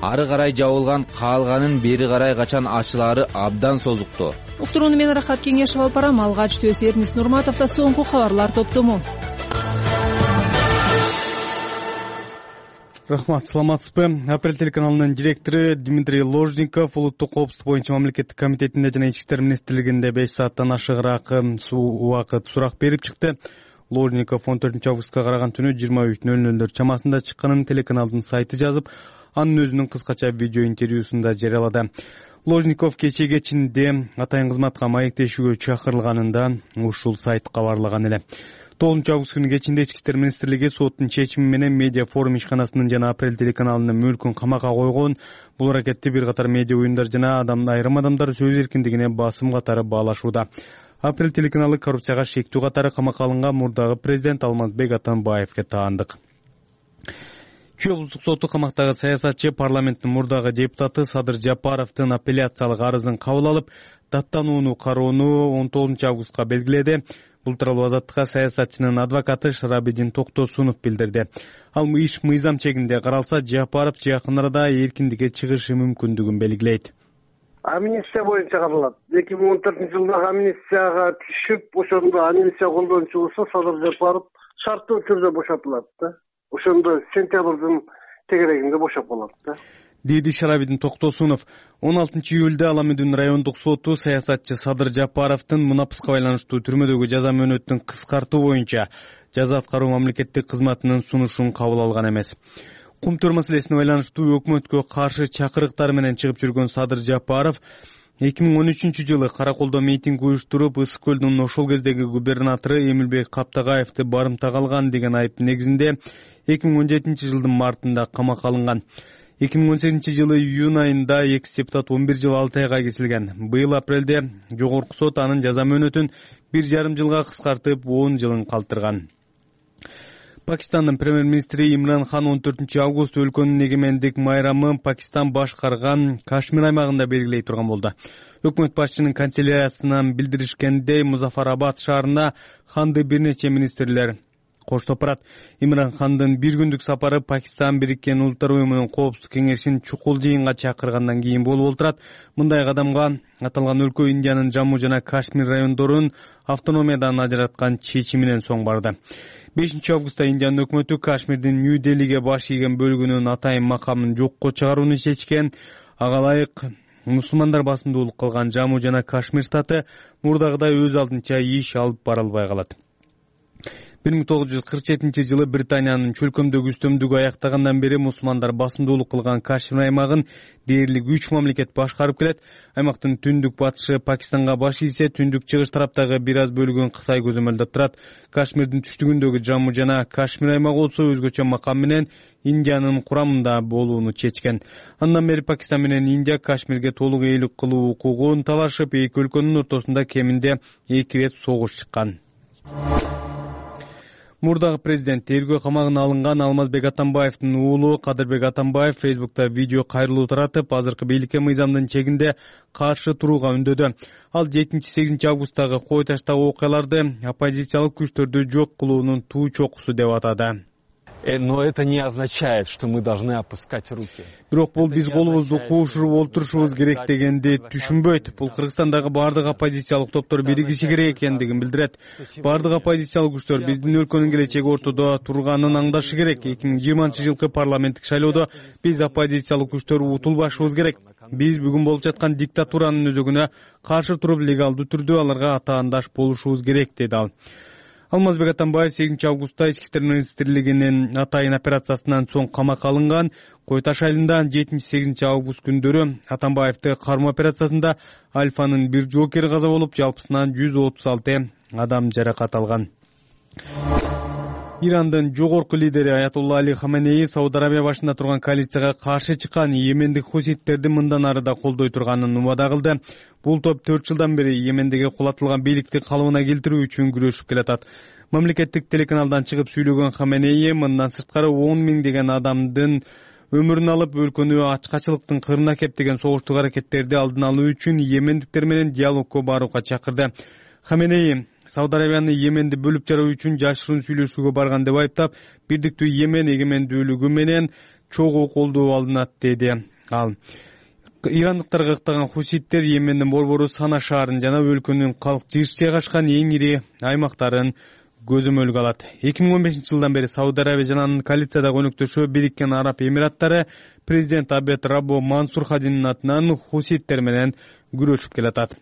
Ары карай жабылган, калганын бери карай качан ачылаары абдан созукту. Уктурууну мен Рахат Кеңешов алып барам. Алгач Төс Эрнис Нурматовдо соңку кабарлар топтому. Рахмат, саламатсызбы? Апрель телеканалынын директору Дмитрий Ложников улуттук коопсуздук боюнча мамлекеттик комитетинде жана ички иштер министрлигинде беш сааттан ашыгыраак убакыт сурак берип чыкты. Ложников он төртүнчү августка караган түнү жыйырма үч нөл нөлдөр чамасында чыкканын телеканалдын сайты жазып, анын өзүнүн кыскача видео интервьюсунда жарыялады. Ложников кечээ кечинде атайын кызматка маектешүүгө чакырылганында ушул сайт кабарлаган эле. тогузунчу август күнү кечинде ички иштер министрлиги соттун чечими менен медиа форум ишканасынын жана Апрель телеканалынын мүлкүн камакка койгон. Бул аракетти бир катар медиа уюмдар жана адам айрым адамдар сөз эркиндигине басым катары баалашууда. Апрель телеканалы коррупцияга шектүү катары камакка алынган мурдагы президент Алмазбек Атамбаевге таандык. Чүй облустук соту камактагы саясатчы парламенттин мурдагы депутаты Садыр Жапаровдун апелляциялык арызын кабыл алып, даттанууну кароону он тогузунчу августка белгиледи. Бул тууралуу Азаттыкка саясатчынын адвокаты Шарабидин Токтосунов билдирди. Ал иш мыйзам чегинде каралса, Жапаров жакын арада эркиндикке чыгышы мүмкүндүгүн белгилейт. Амнистия боюнча кабылат. эки миң он төртүнчү жылдагы амнистияга түшүп, ошондо амнистия колдончу болсо Садыр Жапаров шарттуу түрдө бошотулат да. Ошондо сентябрдын тегерегинде бошоп калат да. Деди Шарабидин Токтосунов. он алтынчы июлда Аламүдүн райондук соту саясатчы Садыр Жапаровдун мунапыска байланыштуу түрмөдөгү жаза мөөнөтүн кыскартуу боюнча жаза аткаруу мамлекеттик кызматынын сунушун кабыл алган эмес. Кумтөр маселесине байланыштуу өкмөткө каршы чакырыктар менен чыгып жүргөн Садыр Жапаров эки миң он үчүнчү жылы Караколдо митинг уюштуруп, Ысык көлдүн ошол кездеги губернатору Эмилбек Каптагаевди барымтага алган деген айып негизинде эки миң он жетинчи жылдын мартында камакка алынган. эки миң он сегизинчи жылы июнь айында экс депутат он бир жыл алты айга кесилген. Быйыл апрелде жогорку сот анын жаза мөөнөтүн бир жарым жылга кыскартып он жылын калтырган. Пакистандын премьер-министри Имран Хан он төртүнчү август өлкөнүн эгемендик майрамын Пакистан башкарган Кашмир аймагында белгилей турган болду. Өкмөт башчынын канцеляриясынан билдиришкендей, Музафарабад шаарына Ханды бир нече министрлер коштоп барат. Имран Хандын бир күндүк сапары Пакистан Бириккен Улуттар уюмунун коопсуздук кеңешин чукул жыйынга чакыргандан кийин болуп отурат. Мындай кадамга аталган өлкө Индиянын Жамму жана Кашмир райондорун автономиядан ажыраткан чечиминен соң барды. бешинчи августта Индиянын өкмөтү Кашмирдин Нью-Делиге баш ийген бөлүгүнүн атайын макамын жокко чыгарууну чечкен. Ага ылайык мусулмандар басымдуулук кылган Жамму жана Кашмир штаты мурдагыдай өз алдынча иш алып бара албай калат. бир миң тогуз жүз кырк жетинчи жылы Британиянын чөлкөмдөгү үстөмдүгү аяктагандан бери мусулмандар басымдуулук кылган Кашмир аймагын дээрлик үч мамлекет башкарып келет. Аймактын түндүк батышы Пакистанга баш ийсе, түндүк чыгыш тараптагы бир аз бөлүгүн Кытай көзөмөлдөп турат. Кашмирдин түштүгүндөгү Жамму жана Кашмир аймагы болсо өзгөчө макам менен Индиянын курамында болууну чечкен. Андан бери Пакистан менен Индия Кашмирге толук ээлик кылуу укугун талашып, эки өлкөнүн ортосунда кеминде эки ирет согуш чыккан. Мурдагы президент тергөө камагына алынган Алмазбек Атамбаевдин уулу Кадырбек Атамбаев Фейсбукта видео кайрылуу таратып, азыркы бийликке мыйзамдын чегинде каршы турууга үндөдү. Ал жетинчи сегизинчи августтагы Кой Таштагы окуяларды оппозициялык күчтөрдү жок кылуунун туу чокусу деп атады. Но это не означает, что мы должны опускать руки. Бирок бул биз колубузду куушуруп олтурушубуз керек дегенди түшүнбөйт. Бул Кыргызстандагы бардык оппозициялык топтор биригиши керек экендигин билдирет. Бардык оппозициялык күчтөр биздин өлкөнүн келечеги ортодо турганын аңдашы керек. эки миң жыйырманчы жылкы парламенттик шайлоодо биз оппозициялык күчтөр утулбашыбыз керек. Биз бүгүн болуп жаткан диктатуранын өзөгүнө каршы туруп легалдуу түрдө аларга атаандаш болушубуз керек, деди ал. Алмазбек Атамбаев сегизинчи августта Ички иштер министрлигинин атайын операциясынан соң камакка алынган. Кой Таш айылында жетинчи сегизинчи август күндөрү Атамбаевди кармоо операциясында Альфанын бир жоокери каза болуп, жалпысынан жүз отуз алты адам жаракат алган. Ирандын жогорку лидери Аятолла Али Хаменеи Сауд Арабия башында турган коалицияга каршы чыккан Йемендик хуситтерди мындан ары да колдой турганын убада кылды. Бул топ төрт жылдан бери Йемендеги кулатылган бийликти калыбына келтирүү үчүн күрөшүп келатат. Мамлекеттик телеканалдан чыгып сүйлөгөн Хаменеи мындан сырткары он миңдеген адамдын өмүрүн алып, өлкөнү ачкачылыктын кырына кептеген согуштук аракеттерди алдын алуу үчүн йемендиктер менен диалогко барууга чакырды. Хаменеи Сауд Арабияны Йеменди бөлүп жаруу үчүн жашыруун сүйлөшүүгө барган деп айыптап, бирдиктүү Йемен эгемендүүлүгү менен чогуу колдоо алынат, деди ал. Ирандыктарга ыктаган хуситтер Йемендин борбору Сана шаарын жана өлкөнүн калк жыш жайгашкан эң ири аймактарын көзөмөлгө алат. эки миң он бешинчи жылдан бери Сауд Арабия жана анын коалициядагы өнөктөшү Бириккен Араб Эмираттары президент Абед Раббо Мансур Хадинин атынан хуситтер менен күрөшүп келатат.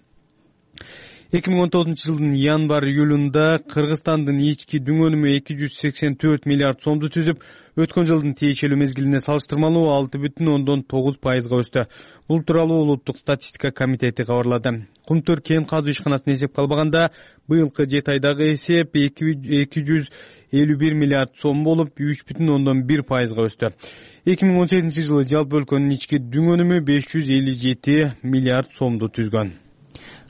эки миң он тогузунчу жылдын январ-июлунда Кыргызстандын ички дүң өнүмү эки жүз сексен төрт миллиард сомду түзүп, өткөн жылдын тиешелүү мезгилине салыштырмалуу алты бүтүн ондон тогуз пайызга өстү. Бул тууралуу Улуттук статистика комитети кабарлады. Кумтөр кен казуу ишканасына эсепке албаганда, быйылкы жети айдагы эсеп эки жүз элүү бир миллиард сом болуп, үч бүтүн ондон бир пайызга өстү. эки миң он сегизинчи жылы жалпы өлкөнүн ички дүң өнүмү беш жүз элүү жети миллиард сомду түзгөн.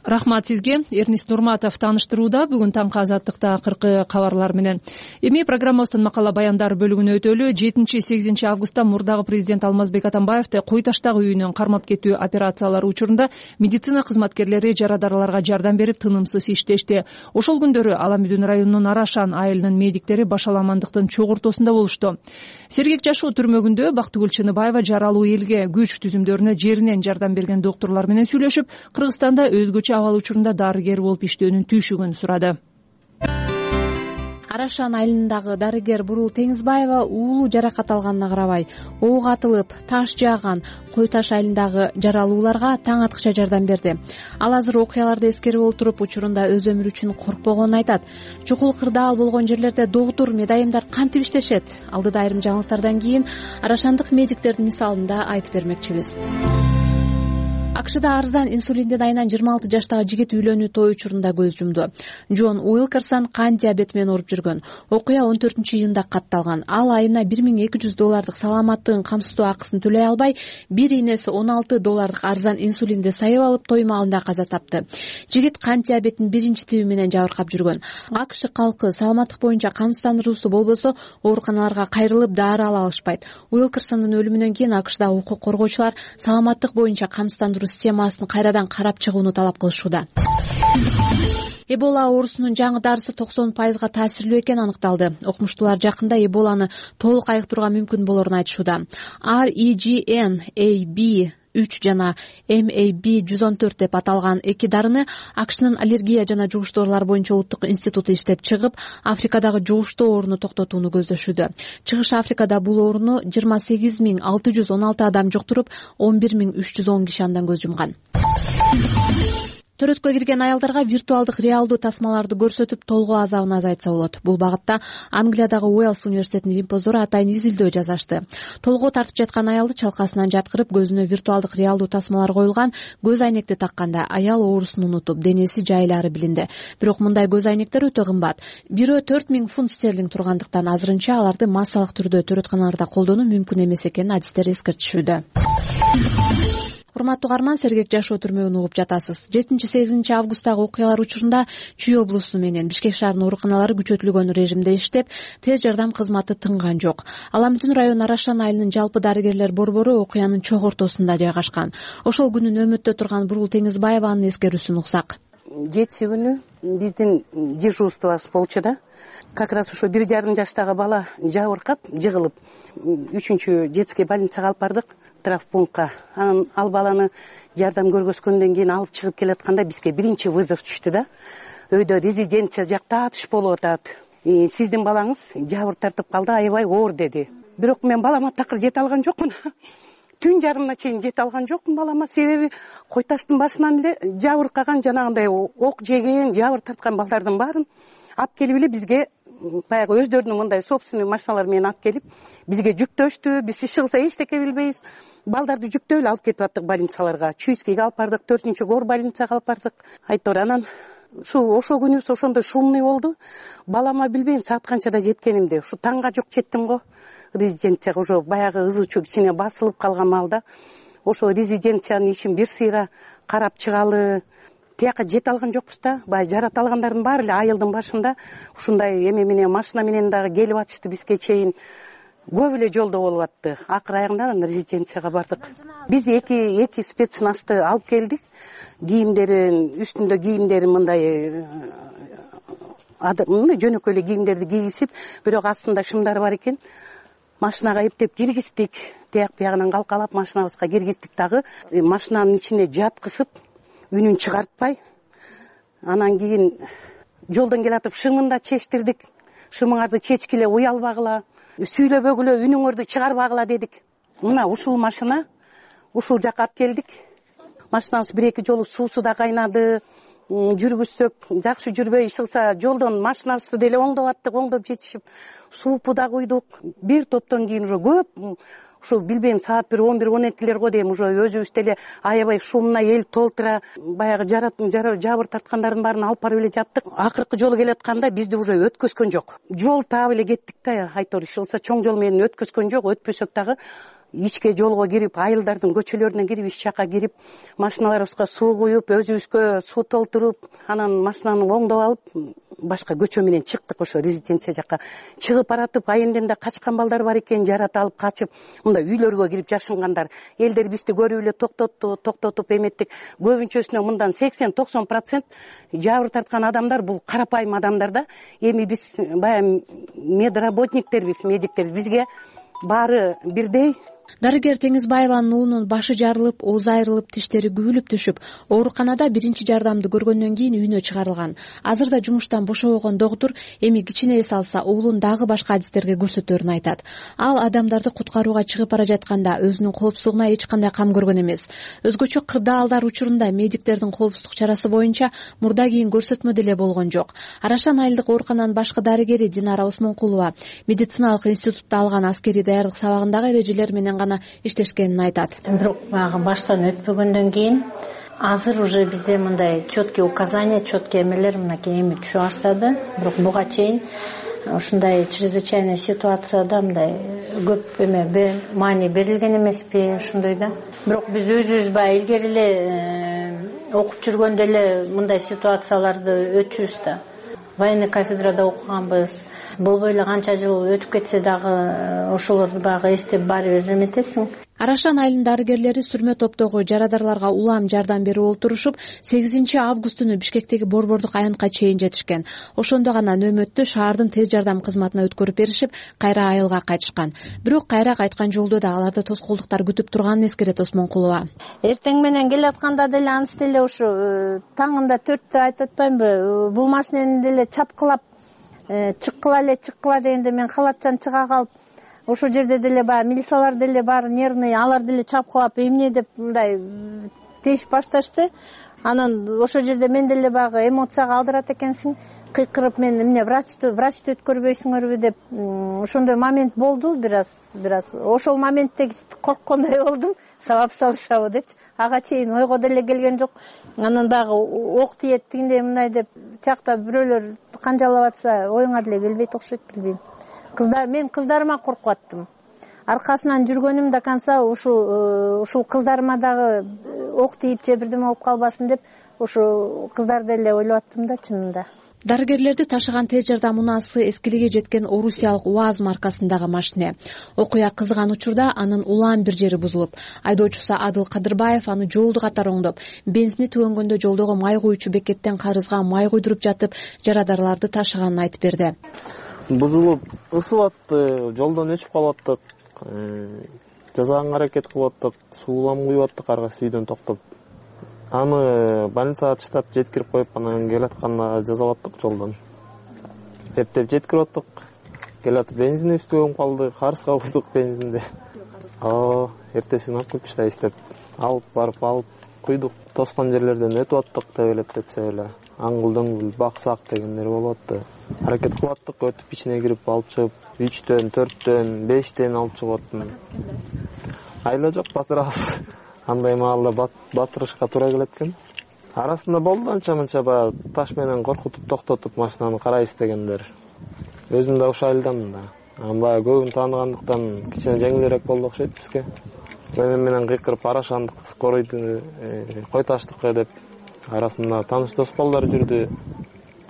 Рахмат сизге. Эрнис Нурматов тааныштырууда. Бүгүн таңкы азаттыкта акыркы кабарлар менен. Эми программабыздын макала баяндар бөлүгүнө өтөлү. жетинчи сегизинчи августта мурдагы президент Алмазбек Атамбаевди Кой Таштагы үйүнөн кармап кетүү операциялары учурунда медицина кызматкерлери жарадарларга жардам берип тынымсыз иштешти. Ошол күндөрү Ала Мүдүн районунун Арашан айылынын медиктери башаламандыктын чок ортосунда болушту. Сергек жашоо түрмөгүндө Бактыгүл Чыныбаева жаралуу элге күч түзүмдөрүнө жеринен жардам берген доктурлар менен сүйлөшүп, Кыргызстанда өзгөчө абал учурунда дарыгер болуп иштөөнүн түйшүгүн сурады. Арашан айылындагы дарыгер Бурул Теңизбаева уулу жаракат алганына карабай, ок атылып, таш жааган Кой Таш айылындагы жаралууларга таң аткыча жардам берди. Ал азыр окуяларды эскерип отуруп, учурунда өз өмүрү үчүн коркпогонун айтат. Чукул кырдаал болгон жерлерде доктур, медайымдар кантип иштешет? Алдыда айрым жаңылыктардан кийин Арашандык медиктердин мисалын да айтып бермекчибиз. АКШда арзан инсулиндин айынан жыйырма алты жаштагы жигит үйлөнүү той учурунда көз жумду. Джон Уилкерсон кан диабети менен ооруп жүргөн. Окуя он төртүнчү июнда катталган. Ал айына бир миң эки жүз доллардык саламаттыгын камсыздоо акысын төлөй албай, бир ийнеси он алты доллардык арзан инсулинди сайып алып, той маалында каза тапты. Жигит кан диабетинин биринчи тиби менен жабыркап жүргөн. АКШ калкы саламаттык боюнча камсыздандыруусу болбосо ооруканаларга кайрылып дары ала алышпайт. Уилкерсондун өлүмүнөн кийин АКШда укук коргоочулар саламаттык боюнча камсыздандыруу системасын кайрадан карап чыгууну талап кылышууда. Эбола оорусунун жаңы дарысы токсон пайызга таасирлүү экени аныкталды. Окумуштуулар жакында Эболаны толук айыктырууга мүмкүн болорун айтышууда. ар и джи эн а би үч жана эм а би жүз он төрт деп аталган эки дарыны АКШнын аллергия жана жугуш доорулар боюнча улуттук институту иштеп чыгып, Африкадагы жугуштуу ооруну токтотууну көздөшүүдө. Чыгыш Африкада бул ооруну жыйырма сегиз миң алты жүз он алты адам жуктуруп, он бир миң үч жүз он киши андан көз жумган. Төрөткө кирген аялдарга виртуалдык реалдуу тасмаларды көрсөтүп, толгоо азабын азайтса болот. Бул багытта Англиядагы Уэльс университетинин лимпоздору атайын изилдөө жасашты. Толгоо тартып жаткан аялды чалкасынан жаткырып, көзүнө виртуалдык реалдуу тасмалар коюлган көз айнекти такканда аял оорусун унутуп, денеси жайлары билинди. Бирок мындай көз айнектер өтө кымбат. Бирөө төрт миң фунт стерлинг тургандыктан азырынча аларды массалык түрдө төрөтканаларда колдонуу мүмкүн эмес экенин адистер эскертишүүдө. Урматтуу угарман, Сергек жашоо түрмөгүн угуп жатасыз. жетинчи сегизинчи августтагы окуялар учурунда Чүй облусу менен Бишкек шаарынын ооруканалары күчөтүлгөн режимде иштеп, тез жардам кызматы тынган жок. Ала Мүдүн району Арашан айылынын жалпы дарыгерлер борбору окуянын чок ортосунда жайгашкан. Ошол күнү нөөмөттө турган Бурул Теңизбаеванын эскерүүсүн уксак. Жетиси күнү биздин дежурствобуз болчу да. Как раз ошо бир жарым жаштагы бала жабыркап жыгылып үчүнчү детский больницага алып бардык, травмпунктка. Анан ал баланы жардам көргөзгөндөн кийин алып чыгып келатканда бизге биринчи вызов түштү да. Өйдө резиденция жакта атыш болуп атат. Сиздин балаңыз жабыр тартып калды, аябай оор деди. Бирок мен балама такыр жете алган жокмун. Түн жарымына чейин жете алган жокмун балама, себеби кой таштын башынан эле жабыркаган, жанагындай ок жеген, жабыр тарткан балдардын баарын алып келип эле бизге баягы өздөрүнүн мындай собственный машиналар менен алып келип бизге жүктөштү. Биз иши кылса эчтеке билбейбиз. Балдарды жүктөп эле алып кетип аттык больницаларга. Чуйскийге алып бардык, төртүнчү гор больницага алып бардык. Айтор анан ушу ошол күнүбүз ошондой шумный болду. Балама билбейм саат канчада жеткенимди. Ушу таңга жок жеттим го. Резиденцияга уже баягы ызычуу кичине басылып калган маалда ошо резиденциянын ишин бир сыйра карап чыгалы. Тияка жете алган жокпуз да. Баягы жарата алгандардын баары эле айылдын башында ушундай эме менен машина менен дагы келип атышты бизге чейин. Көп эле жолдо болуп атты. Акыр аягында резиденцияга бардык. Биз эки эки спецназды алып келдик. Кийимдерин, үстүндө кийимдерин мындай мындай жөнөкөй эле кийимдерди кийгизип, бирок астында шымдар бар экен. Машинага эптеп киргиздик. Тияк биягынан калкалап машинабызга киргиздик дагы. Машинанын ичине жаткызып, үнүн чыгартпай. Анан кийин жолдон келатып шымын да чечтирдик. Шымыңарды чечкиле, уялбагыла, сүйлөбөгүлө, үнүңөрдү чыгарбагыла дедик. Мына ушул машина, ушул жака алып келдик. Машинабыз бир-эки жолу суусу да кайнады. Жүргүзсөк жакшы жүрбөй, иш кылса жолдон машинабызды деле оңдоп аттык, оңдоп жетишип, суупу да куйдук. Бир топтон кийин уже көп, ушу билбейм саат бир он бир он экилер го дейм, уже өзүбүз деле аябай шумна эл толтура, баягы жабыр тарткандардын баарын алып барып эле жаптык. Акыркы жолу келатканда бизди уже өткөзгөн жок. Жол таап эле кеттик да, айтор иш кылса чоң жол менен өткөзгөн жок. Өтпөсөк дагы ичке жолго кирип, айылдардын көчөлөрүнө кирип, ич жака кирип, машиналарыбызга суу куюп, өзүбүзгө суу толтуруп, анан машинаны оңдоп алып, башка көчө менен чыктык. Ошо резиденция жака чыгып баратып, айылдан да качкан балдар бар экен, жарата алып качып, мындай үйлөргө кирип жашынгандар. Элдер бизди көрүп эле токтотту, токтотуп эметтик. Көбүнчөсүнө мындан сексен токсон процент жабыр тарткан адамдар бул карапайым адамдар да. Эми биз баягы медработниктербиз, медиктер, бизге баары бирдей. Дарыгер Теңизбаеванын уулунун башы жарылып, оозу айрылып, тиштери күбүлүп түшүп, ооруканада биринчи жардамды көргөндөн кийин үйүнө чыгарылган. Азырда жумуштан бошобогон доктур эми кичине эс алса уулун дагы башка адистерге көрсөтөрүн айтат. Ал адамдарды куткарууга чыгып бара жатканда өзүнүн коопсуздугуна эч кандай кам көргөн эмес. Өзгөчө кырдаалдар учурунда медиктердин коопсуздук чарасы боюнча мурда кийин көрсөтмө деле болгон жок. Арашан айылдык оорукананын башкы дарыгери Динара Осмонкулова медициналык институтта алган аскерий даярдык сабагындагы эрежелер менен гана иштешкенин айтат. Бирок баягы баштан өтпөгөндөн кийин азыр уже бизде мындай четкий указания, четкий эмелер мынакей эми түшө баштады. Бирок буга чейин ушундай чрезвычайный ситуацияда мындай көп эме маани берилген эмеспи, ошондой да. Бирок биз өзүбүз баягы илгери эле окуп жүргөндө эле мындай ситуацияларды өтчүбүз да. Военный кафедрада окуганбыз. Болбой эле канча жыл өтүп кетсе дагы ошолорду баягы эстеп баары бир эметесиң. Арашан айылынын дарыгерлери сүрмө топтогу жарадарларга улам жардам берип олтурушуп, сегизинчи август күнү Бишкектеги борбордук аянтка чейин жетишкен. Ошондо гана нөөмөттү шаардын тез жардам кызматына өткөрүп беришип, кайра айылга кайтышкан. Бирок кайра кайткан жолдо да аларды тоскоолдуктар күтүп турганын эскерет Осмонкулова. Эртең менен келатканда деле аныс деле ушу таңында төрттө айтып атпаймынбы, бул машинени деле чапкылап чыккыла эле чыккыла дегенде мен халатчан чыга калып, ошол жерде деле баягы милициялар деле бар, нервный, алар деле чапкылап эмне деп мындай тешип башташты. Анан ошол жерде мен деле баягы эмоцияга алдырат экенсиң, кыйкырып мен эмне врачты врачты өткөрбөйсүңөрбү деп ошондой момент болду. Бир аз бир аз ошол моментте корккондой болдум, сабап салышабы депчи. Ага чейин ойго деле келген жок. Анан дагы ок тиет тигиндей мындай деп жакта бирөөлөр канжалап атса оюңа деле келбейт окшойт, билбейм. Кыздар, мен кыздарыма коркуп аттым. Аркасынан жүргөнүм до конца ушул ушул кыздарыма дагы ок тийип же бирдеме болуп калбасын деп ошо кыздарды эле ойлоп аттым да чынында. дарыгерлерди ташыган тез жардам унаасы эскилиги жеткен орусиялык УАЗ маркасындагы машине. Окуя кызган учурда анын улам бир жери бузулуп, айдоочусу Адыл Кадырбаев аны жолду катар оңдоп, бензини түгөнгөндө жолдогу май куючу бекеттен карызга май куйдуруп жатып, жарадарларды ташыганын айтып берди. Бузулуп ысып атты, жолдон өчүп калып аттык, жазаганга аракет кылып аттык, суулам куюп аттык арга сүйдөн токтоп. Аны больницага чыдап жеткирип коюп, анан келатканда жазалап аттык жолдон. Эптеп жеткирип аттык. Келатып бензин үстүгө калды, карызга куйдук бензинди. А, эртесин алып келип иштеп, алып барып алып куйдук. Тоскон жерлерден өтүп аттык, тебелеп тепсе эле. Аңгыл-дөңгүл, баксак дегендер болуп атты. Аракет кылып аттык, өтүп ичине кирип алып чыгып, үчтөн, төрттөн, бештен алып чыгып аттым. Айла жок, батырабыз. Андай маалда батырышка туура келет экен. Арасында болду анча-мынча баягы таш менен коркутуп токтотуп машинаны карайбыз дегендер. Өзүм да ушул айылдамын да. Анан баягы көбүн тааныгандыктан кичине жеңилирээк болду окшойт бизге. Мен менен кыйкырып арашандык, скоройду кой таштыкка деп. Арасында тааныш дос балдар жүрдү.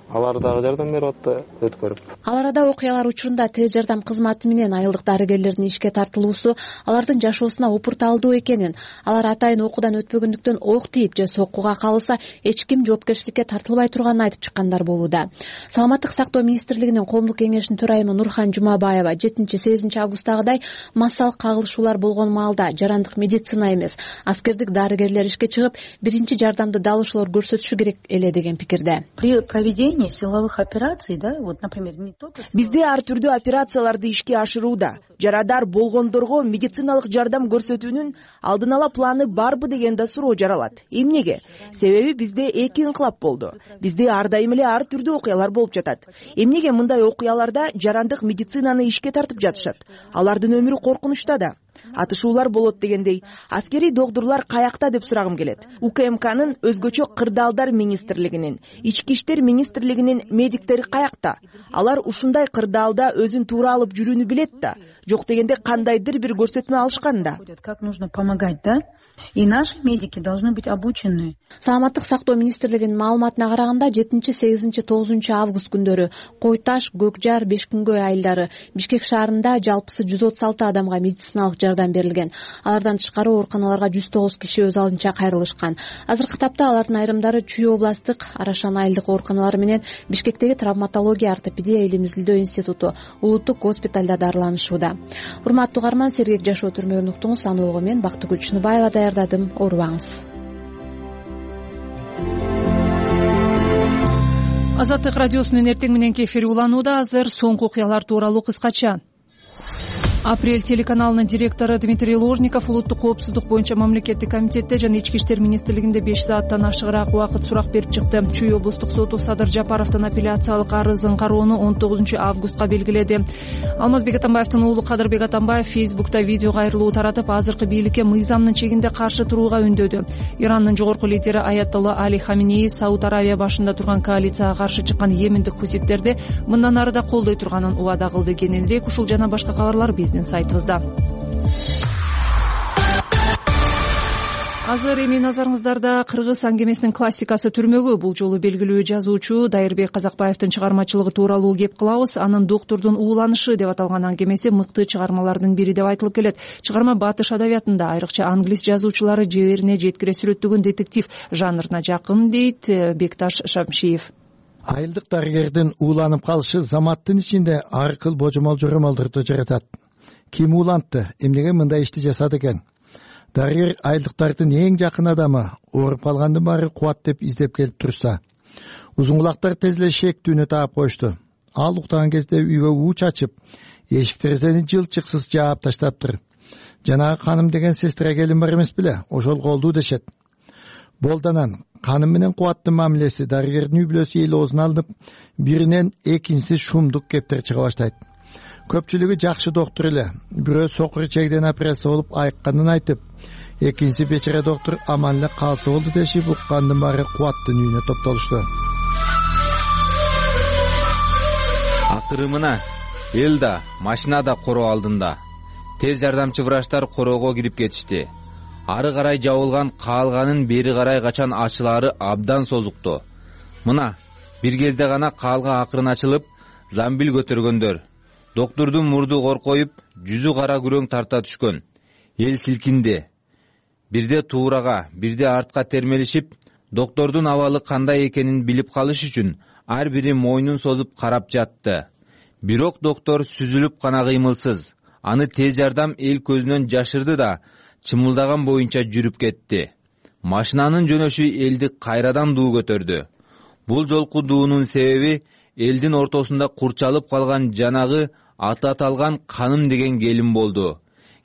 Алар дагы жардам берип атты, өткөрүп. Ал арада окуялар учурунда тез жардам кызматы менен айылдык дарыгерлердин ишке тартылуусу алардын жашоосуна упурталдуу экенин, алар атайын окуудан өтпөгөндүктөн ок тийип же соккуга кабылса эч ким жоопкерчиликке тартылбай турганын айтып чыккандар болууда. Саламаттык сактоо министрлигинин коомдук кеңешинин төрайымы Нурхан Жумабаева жетинчи сегизинчи августтагыдай массалык кагылышуулар болгон маалда жарандык медицина эмес, аскердик дарыгерлер ишке чыгып, биринчи жардамды дал ошолор көрсөтүшү керек эле деген пикирде. При проведении силовых операций, да, вот, например, не только... Бизде ар түрдүү операцияларды ишке ашырууда. Жарадар болгондорго медициналык жардам көрсөтүүнүн алдын ала планы барбы деген да суроо жаралат. Эмнеге? Себеби бизде эки инкылап болду. Бизде ар дайым эле ар түрдүү окуялар болуп жатат. Эмнеге мындай окуяларда жарандык медицинаны ишке тартып жатышат? Алардын өмүрү коркунучта да. Атышуулар болот дегендей, аскерий докторлор каякта деп сурагым келет. УКМКнын өзгөчө кырдаалдар министрлигинин, ички иштер министрлигинин медиктери каякта? Алар ушундай кырдаалда өзүн туура алып жүрүүнү билет да. Жок дегенде кандайдыр бир көрсөтмө алышкан да. Как нужно помогать, да? И наши медики должны быть обучены. Саламаттык сактоо министрлигинин маалыматына караганда жетинчи, сегизинчи, тогузунчу август күндөрү Кой Таш, Көк Жар, Бешкүнгөй айылдары Бишкек шаарында жалпысы жүз отуз алты адамга медициналык жардам берилген. Алардан тышкары ооруканаларга жүз тогуз киши өз алдынча кайрылышкан. Азыркы тапта алардын айрымдары Чүй областтык Арашан айылдык ооруканалары менен Бишкектеги травматология ортопедия илим изилдөө институту улуттук госпиталда дарыланышууда. Урматтуу угарман, сергек жашоо түрмөгүн уктуңуз. Аны ого мен Бактыгүл Чыныбаева даярдадым. Оорубаңыз. Азаттык радиосунун эртең мененки эфири уланууда. Азыр соңку окуялар тууралуу кыскача. Апрель телеканалынын директору Дмитрий Ложников улуттук коопсуздук боюнча мамлекеттик комитетте жана ички иштер министрлигинде беш сааттан ашыгыраак убакыт сурак берип чыкты. Чүй облустук соту Садыр Жапаровдун апелляциялык арызын кароону он тогузунчу августка белгиледи. Алмазбек Атамбаевдин уулу Кадырбек Атамбаев Фейсбукта видео кайрылуу таратып, азыркы бийликке мыйзамдын чегинде каршы турууга үндөдү. Ирандын жогорку лидери Аятолла Али Хаминеи Сауд Аравия башында турган коалицияга каршы чыккан йемендик хуситтерди мындан ары да колдой турганын убада кылды. Кененирээк ушул жана башка кабарлар биздин сайтыбызда. Азыр эми назарыңыздарда кыргыз аңгемесинин классикасы түрмөгү. Бул жолу белгилүү жазуучу Дайырбек Казакбаевдин чыгармачылыгы тууралуу кеп кылабыз. Анын Доктурдун ууланышы деп аталган аңгемеси мыкты чыгармалардын бири деп айтылып келет. Чыгарма батыш адабиятында, айрыкча англис жазуучулары жеберине жеткире сүрөттөгөн детектив жанрына жакын, дейт Бекташ Шамшиев. Айылдык дарыгердин ууланып калышы заматтын ичинде ар кыл божомол жоромолдорду жаратат. Ким уулантты, эмнеге мындай ишти жасады экен? Дарыгер айылдыктардын эң жакын адамы, ооруп калгандын баары кубат деп издеп келип турса. Узун кулактар тез эле шектүүнү таап коюшту. Ал уктаган кезде үйгө уу чачып, эшик терезени жылчыксыз жаап таштаптыр. Жанагы Каным деген сестра келин бар эмес беле, ошол колдуу дешет. Болданан Каным менен Кубаттын мамилеси дарыгердин үй бүлөсү эл оозуна алынып, биринен экинчиси шумдук кептер чыга баштайт. Көпчүлүгү жакшы доктур эле, бирөө сокур чегден операция болуп айыкканын айтып, экинчиси бечара доктур аман эле калса болду дешип, уккандын баары Кубаттын үйүнө топтолушту. Акыры мына эл да, машина да короо алдында. Тез жардамчы врачтар короого кирип кетишти. Ары карай жабылган каалганын бери карай качан ачылаары абдан созукту. Мына бир кезде гана каалга акырын ачылып замбил көтөргөндөр. Доктурдун мурду коркоюп, жүзү кара күрөң тарта түшкөн. Эл силкинди. Бирде туурага, бирде артка термелишип, доктордун абалы кандай экенин билип калыш үчүн ар бири мойнун созуп карап жатты. Бирок доктор сүзүлүп гана кыймылсыз. Аны тез жардам эл көзүнөн жашырды да чымылдаган боюнча жүрүп кетти. Машинанын жөнөшү элди кайрадан дуу көтөрдү. Бул жолку дуунун себеби элдин ортосунда курчалып калган жанагы аты аталган Каным деген келин болду.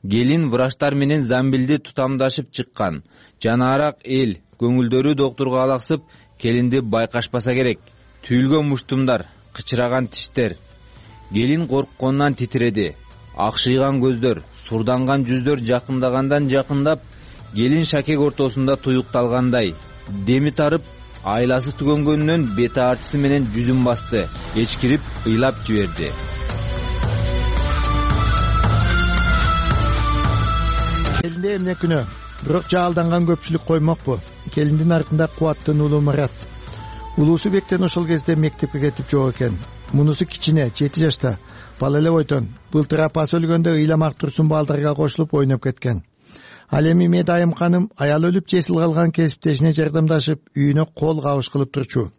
Келин врачтар менен замбилди тутамдашып чыккан. Жанаарак эл көңүлдөрү доктурга алаксып, келинди байкашпаса керек. Түйүлгөн муштумдар, кычыраган тиштер. Келин коркконунан титиреди. Акшыйган көздөр, сурданган жүздөр жакындагандан жакындап, келин шакек ортосунда туюкталгандай. Деми тарып, айласы түгөнгөнүнөн бети артысы менен жүзүн басты, эчкирип ыйлап жиберди. Келинде эмне күнөө? Бирок жаалданган көпчүлүк коймокпу. Келиндин артында кубаттын уулу Марат. Улуусу бектен ошол кезде мектепке кетип жок экен. Мунусу кичине, жети жашта. Бала эле бойдон. Былтыр апасы өлгөндө ыйламак турсун балдарга кошулуп ойноп кеткен. Ал эми Медайым ханым аял өлүп жесил калган кесиптешине жардамдашып, үйүнө кол кабыш кылып турчу.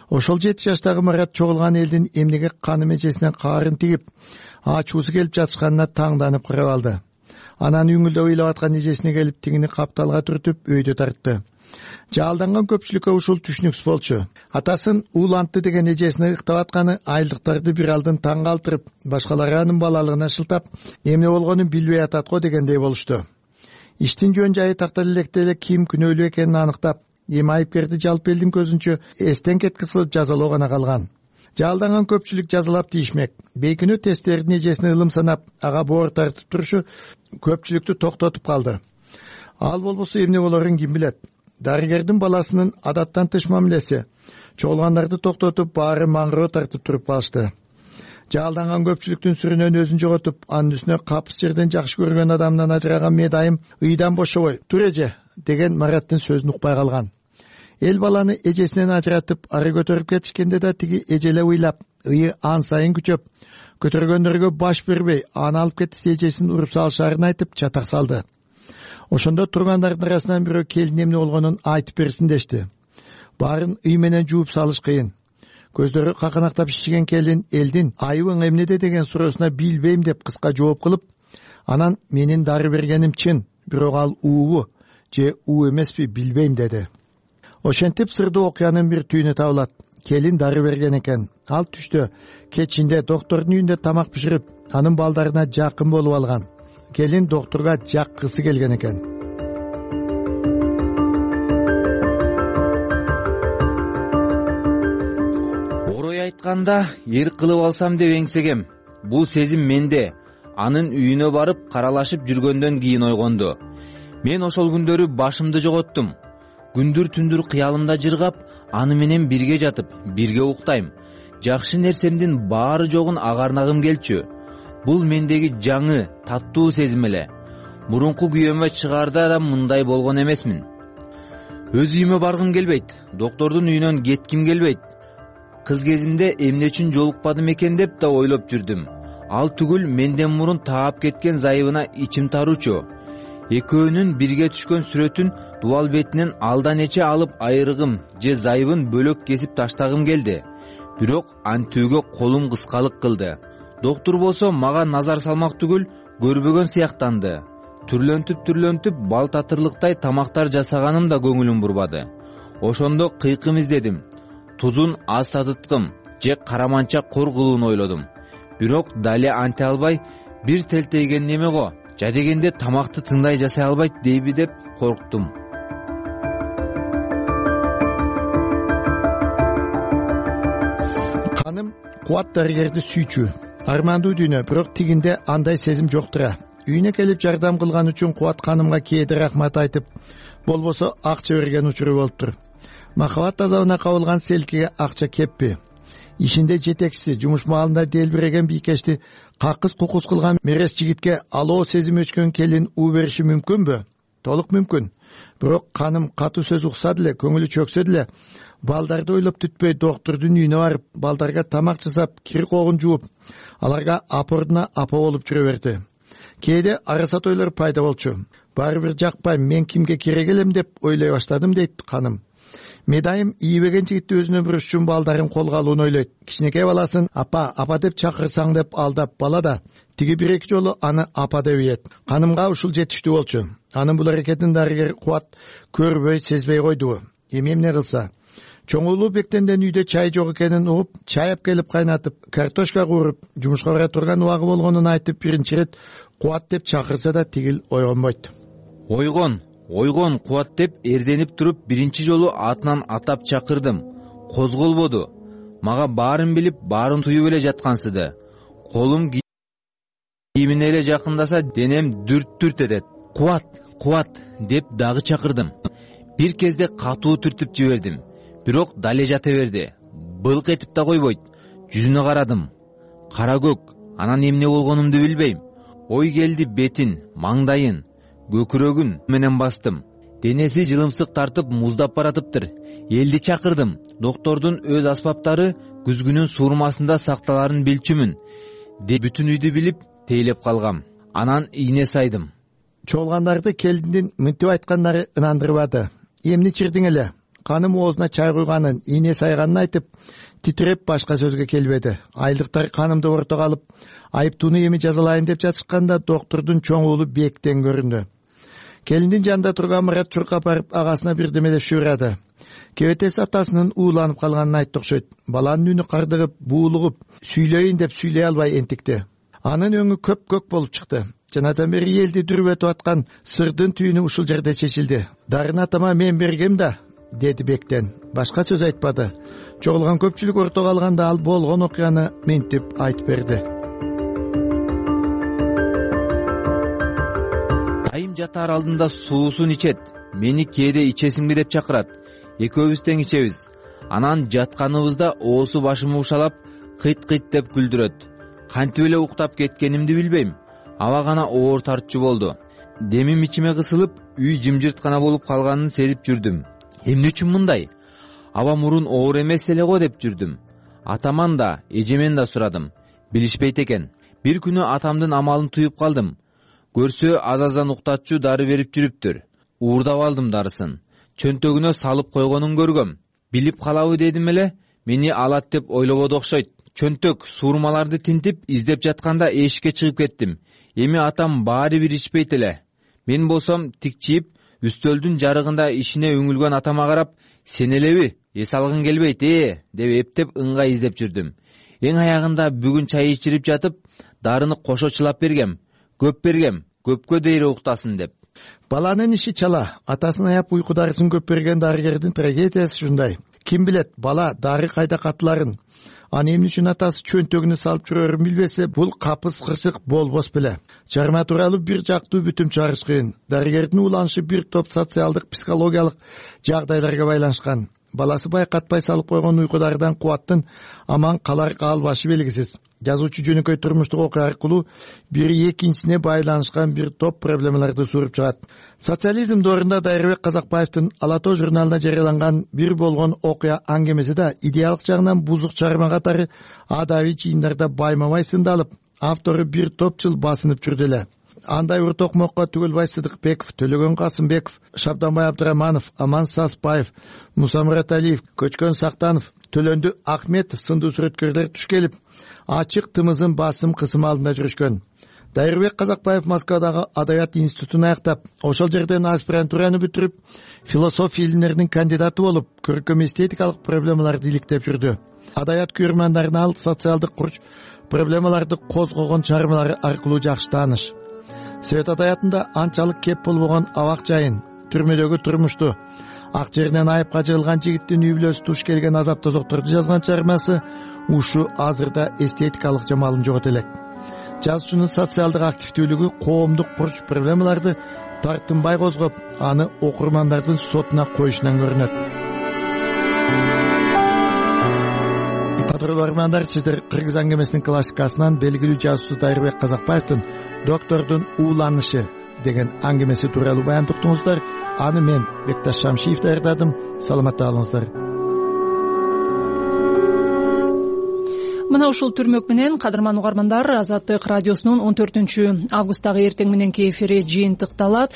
Ошол жети жаштагы Марат чогулган элдин эмнеге Каным эжесинен каарын тигип, ачуусу келип жатышканына таңданып карап алды. Анан үңүлдөп ыйлап аткан эжесине келип тигини капталга түртүп өйдө тартты. Жаалданган көпчүлүккө ушул түшүнүксүз болчу. Атасын уулантты деген эжесине ыктап атканы айылдыктарды бир алдын таң калтырып, башкалары анын балалыгына шылтап, эмне болгонун билбей атат го дегендей болушту. Иштин жөн жайы тактал электе эле ким күнөөлүү экенин аныктап, эми айыпкерди жалпы элдин көзүнчө эстен кеткис кылып жазалоо гана калган. Жаалданган көпчүлүк жазалап тийишмек. Бейкүнөө тесттердин эжесине ылым санап, ага боор тартып турушу көпчүлүктү токтотуп калды. Ал болбосо эмне болорун ким билет. Дарыгердин баласынын адаттан тыш мамилеси чогулгандарды токтотуп, баары маңыроо тартып туруп калышты. Жаалданган көпчүлүктүн сүрүнөн өзүн жоготуп, анын үстүнө капыс жерден жакшы көргөн адамынан ажыраган Медайым ыйдан бошобой тур эже деген Мараттын сөзүн укпай калган. Эл баланы эжесинен ажыратып ары көтөрүп кетишкенде да тиги эжелеп ыйлап, ыйы ан сайын күчөп, көтөргөндөргө баш бербей, аны алып кетсе эжесин уруп салышаарын айтып чатак салды. Ошондо тургандардын арасынан бирөө келин эмне болгонун айтып берсин дешти. Баарын ый менен жууп салыш кыйын. Көздөрү каканактап шишиген келин элдин айыбың эмнеде деген суроосуна билбейм деп кыска жооп кылып, анан менин дары бергеним чын, бирок ал уубу же уу эмеспи билбейм деди. Ошентип сырдуу окуянын бир түйүнү табылат. Келин дары берген экен. Ал түштө кечинде доктордун үйүндө тамак биширип, анын балдарына жакын болуп алган. Келин докторга жаккысы келген экен. Орой айтканда, эр кылып алсам деп эңсегем. Бул сезим менде. Анын үйүнө барып каралашып жүргөндөн кийин ойгонду. Мен ошол күндөрү башымды жоготтум. Күндүр түндүр кыялымда жыргап, аны менен бирге жатып, бирге уктайм. Жакшы нерсемдин баары жогун агарнагым келчү. Бул мендеги жаңы, таттуу сезим эле. Мурунку күйөөмө чыгаарда да мындай болгон эмесмин. Өз үйүмө баргым келбейт, доктордун үйүнөн кетким келбейт. Кыз кезимде эмне үчүн жолукпадым экен деп да ойлоп жүрдүм. Ал түгүл менден мурун таап кеткен зайыбына ичим таруучу. Экөөнүн бирге түшкөн сүрөтүн дубал бетинен алдан эче алып айрыгым же зайыбын бөлөк кесип таштагым келди. Бирок антүүгө колум кыскалык кылды. Доктор болсо мага назар салмак түгүл, көрбөгөн сыяктанды. Түрлөнтүп түрлөнтүп бал татырлыктай тамактар жасаганым да көңүлүм бурбады. Ошондо кыйкым издедим. Тузун аз татыткым же караманча кор кылууну ойлодум. Бирок дале анте албай, бир телтейген неме го, жадегенде тамакты тыңдай жасай албайт дейби деп корктум. Каным кубат дарыгерди сүйчү. Армандуу дүйнө, бирок тигинде андай сезим жок тура. Үйүнө келип жардам кылган үчүн Кубат ханымга кээде рахмат айтып, болбосо акча берген учуру болуптур. Махабат азабына кабылган селкиге акча кеппи. Ишинде жетекчиси, жумуш маалында делбиреген бийкешти какыс кукус кылган мерес жигитке алоо сезим өчкөн келин уу бериши мүмкүнбү? Толук мүмкүн. Бирок ханым катуу сөз укса деле, көңүлү чөксө деле, балдарды ойлоп түтпөй доктурдун үйүнө барып балдарга тамак жасап кир когун жууп аларга апордуна апа болуп жүрө берди. Кээде арасат ойлор пайда болчу. Баары бир жакпайм, мен кимге керек элем деп ойлой баштадым, дейт ханым. Медайым ийбеген жигитти өзүнө буруш үчүн балдарын колго алууну ойлойт. Кичинекей баласын апа, апа деп чакырсаң деп алдап бала да тиги бир эки жолу аны апа деп ийет. Ханымга ушул жетиштүү болчу. Анын бул аракетин дарыгер Кубат көрбөй, сезбей койду. Эми эмне кылса? Чоң уулу Бектенден үйдө чай жок экенин угуп, чай келип кайнатып, картошка кууруп, жумушка бара турган убагы болгонун айтып биринчи ирет Кубат деп чакырса да тигил ойгонбойт. Ойгон, ойгон Кубат деп эрденип туруп биринчи жолу атынан атап чакырдым. Козголбоду. Мага баарын билип, баарын туюп эле жаткансыды. Колум кийимине эле жакындаса, денем дүрт-дүрт этет. Кубат, Кубат деп дагы чакырдым. Бир кезде катуу түртүп жибердим. Бирок дале жата берди. Былк этип да койбойт. Жүзүнө карадым. Кара көк. Анан эмне болгонумду билбейм. Ой келди, бетин, маңдайын, көкүрөгүн менен бастым. Денеси жылымсык тартып муздап баратыптыр. Элди чакырдым. Доктордун өз аспаптары күзгүнүн суурмасында сакталарын билчүмүн. Деп бүтүн үйдү билип тейлеп калгам. Анан ийне сайдым. Чогулгандарды келиндин мынтип айткандары ынандырбады. Эмне чирдиң эле? Ханым оозуна чай куйганын, ийне сайганын айтып, титиреп башка сөзгө келбеди. Айылдыктар ханымды ортого алып, айыптууну эми жазалайын деп жатышканда доктордун чоң уулу Бектен көрүндү. Келиндин жанында турган Мурат чуркап барып агасына бирдеме деп шуурады. Кебетеси атасынын ууланып калганын айтты окшойт. Баланын үнү кардыгып, буулугуп, сүйлөйүн деп сүйлөй албай энтикти. Анын өңү көп-көк болуп чыкты. Жанадан бери элди дүрбөтүп аткан сырдын түйүнү ушул жерде чечилди. Дарын атама мен бергем да, деди Бектен. Башка сөз айтпады. Чогулган көпчүлүк ортого алганда ал болгон окуяны мынтип айтып берди. Айым жатаар алдында суусун ичет. Мени кээде ичесиңби деп чакырат. Экөөбүз тең ичебиз. Анан жатканыбызда оосу башымы ушалап, кыйт-кыйт деп күлдүрөт. Кантип эле уктап кеткенимди билбейм. Аба гана оор тартчу болду. Демим ичиме кысылып, үй жымжырт гана болуп калганын сезип жүрдүм. Эмне үчүн мындай? Аба мурун оор эмес эле го деп жүрдүм. Атаман да, эжемен да сурадым. Билишпейт экен. Бир күнү атамдын амалын туюп калдым. Көрсө аз-аздан уктатчу дары берип жүрүптүр. Уурдап алдым дарысын. Чөнтөгүнө салып койгонун көргөм. Билип калабы дедим эле, мени алат деп ойлободу окшойт. Чөнтөк суурмаларды тинтип издеп жатканда эшикке чыгып кеттим. Эми атам баары бир ичпейт эле. Мен болсом тикчиип, үстөлдүн жарыгында ишине үңүлгөн атама карап, сен элеби, эс алгың келбейт, э, деп эптеп ыңгай издеп жүрдүм. Эң аягында бүгүн чай ичирип жатып, дарыны кошо чылап бергем. Көп бергем, көпкө дейре уктасын деп. Баланын иши чала. Атасын аяп уйку дарысын көп берген дарыгердин трагедиясы ушундай. Ким билет, бала дары кайда катыларын. Аны эмне үчүн атасы чөнтөгүнө салып жүрөрүн билбесе, бул капыс кырсык болбос беле. Чарма тууралуу бир жактуу бүтүм чыгарыш кыйын. Дарыгердин уланышы бир топ социалдык, психологиялык жагдайларга байланышкан. Баласы байкатпай салып койгон уйкудардан Кубаттын аман калар калбашы белгисиз. Жазуучу жөнөкөй турмуштук окуя аркылуу бири экинчисине байланышкан бир топ проблемаларды сууруп чыгат. Социализм доорунда Дайырбек Казакбаевдин Ала тоо журналында жарыяланган бир болгон окуя аңгемеси да идеалык жагынан бузук чыгарма катары адабий жыйындарда байма-бай сындалып, автору бир топ жыл басынып жүрдү эле. Андай Уртокмокко Түгөлбай Сыдыкбеков, Төлөгөн Касымбеков, Шабданбай Абдыраманов, Аман Саспаев, Муса Мураталиев, Көчкөн Сактанов, Төлөндү Ахметов сындуу сүрөткөрлөр туш келип, ачык тымызын басым кысым алдында жүрүшкөн. Дайырбек Казакбаев Москвадагы Адабият институтун аяктап, ошол жерден аспирантураны бүтүрүп, философия илимдеринин кандидаты болуп, көркөм эстетикалык проблемаларды иликтеп жүрдү. Адабият көрөрмандарына ал социалдык курч проблемаларды козгогон чыгармалары аркылуу жакшы тааныш. Совет адабиятында анчалык кеп болбогон абак жайын, түрмөдөгү турмушту, ак жеринен айыпка жыгылган жигиттин үй бүлөсү туш келген азап тозокторду жазган чыгармасы ушу азырда эстетикалык жамалын жогото элек. Жазуучунун социалдык активдүүлүгү коомдук курч проблемаларды тартынбай козгоп, аны окурмандардын сотуна коюшунан көрүнөт. Кадырлуу армандар, сиздер Кыргыз аңгемесинин классикасынан белгилүү жазуучу Дайырбек Казакбаевдин «Доктордун ууланышы» деген аңгемеси тууралуу баян уктуңуздар. Аны мен Бекташ Шамшиев даярдадым. Саламатта калыңыздар. мына ушул түрмөк менен кадырман угармандар, Азаттык радиосунун он төртүнчү августтагы эртең мененки эфири жыйынтыкталат.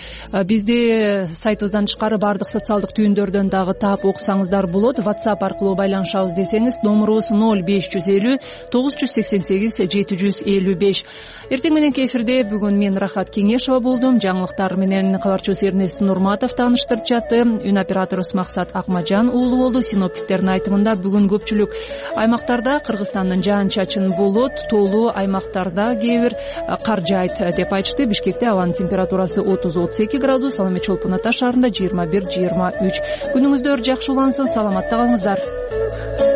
Бизди сайтыбыздан тышкары баардык социалдык түйүндөрдөн дагы таап окусаңыздар болот. WhatsApp аркылуу байланышабыз десеңиз, номурубуз ноль беш жүз элүү тогуз жүз сексен сегиз жети жүз элүү беш. Эртең мененки эфирде бүгүн мен Рахат Кеңешова болдум. Жаңылыктар менен кабарчыбыз Эрнест Нурматов тааныштырып жатты. Үн операторубуз Максат Акмажан уулу болду. Синоптиктердин айтымында бүгүн көпчүлүк аймактарда Кыргызстандын жаан-чачын болот, тоолуу аймактарда кээ бир кар жаайт деп айтышты. Бишкекте абанын температурасы отуз отуз эки градус, ал эми Чолпон Ата шаарында жыйырма бир жыйырма үч. Күнүңүздөр жакшы улансын, саламатта калыңыздар.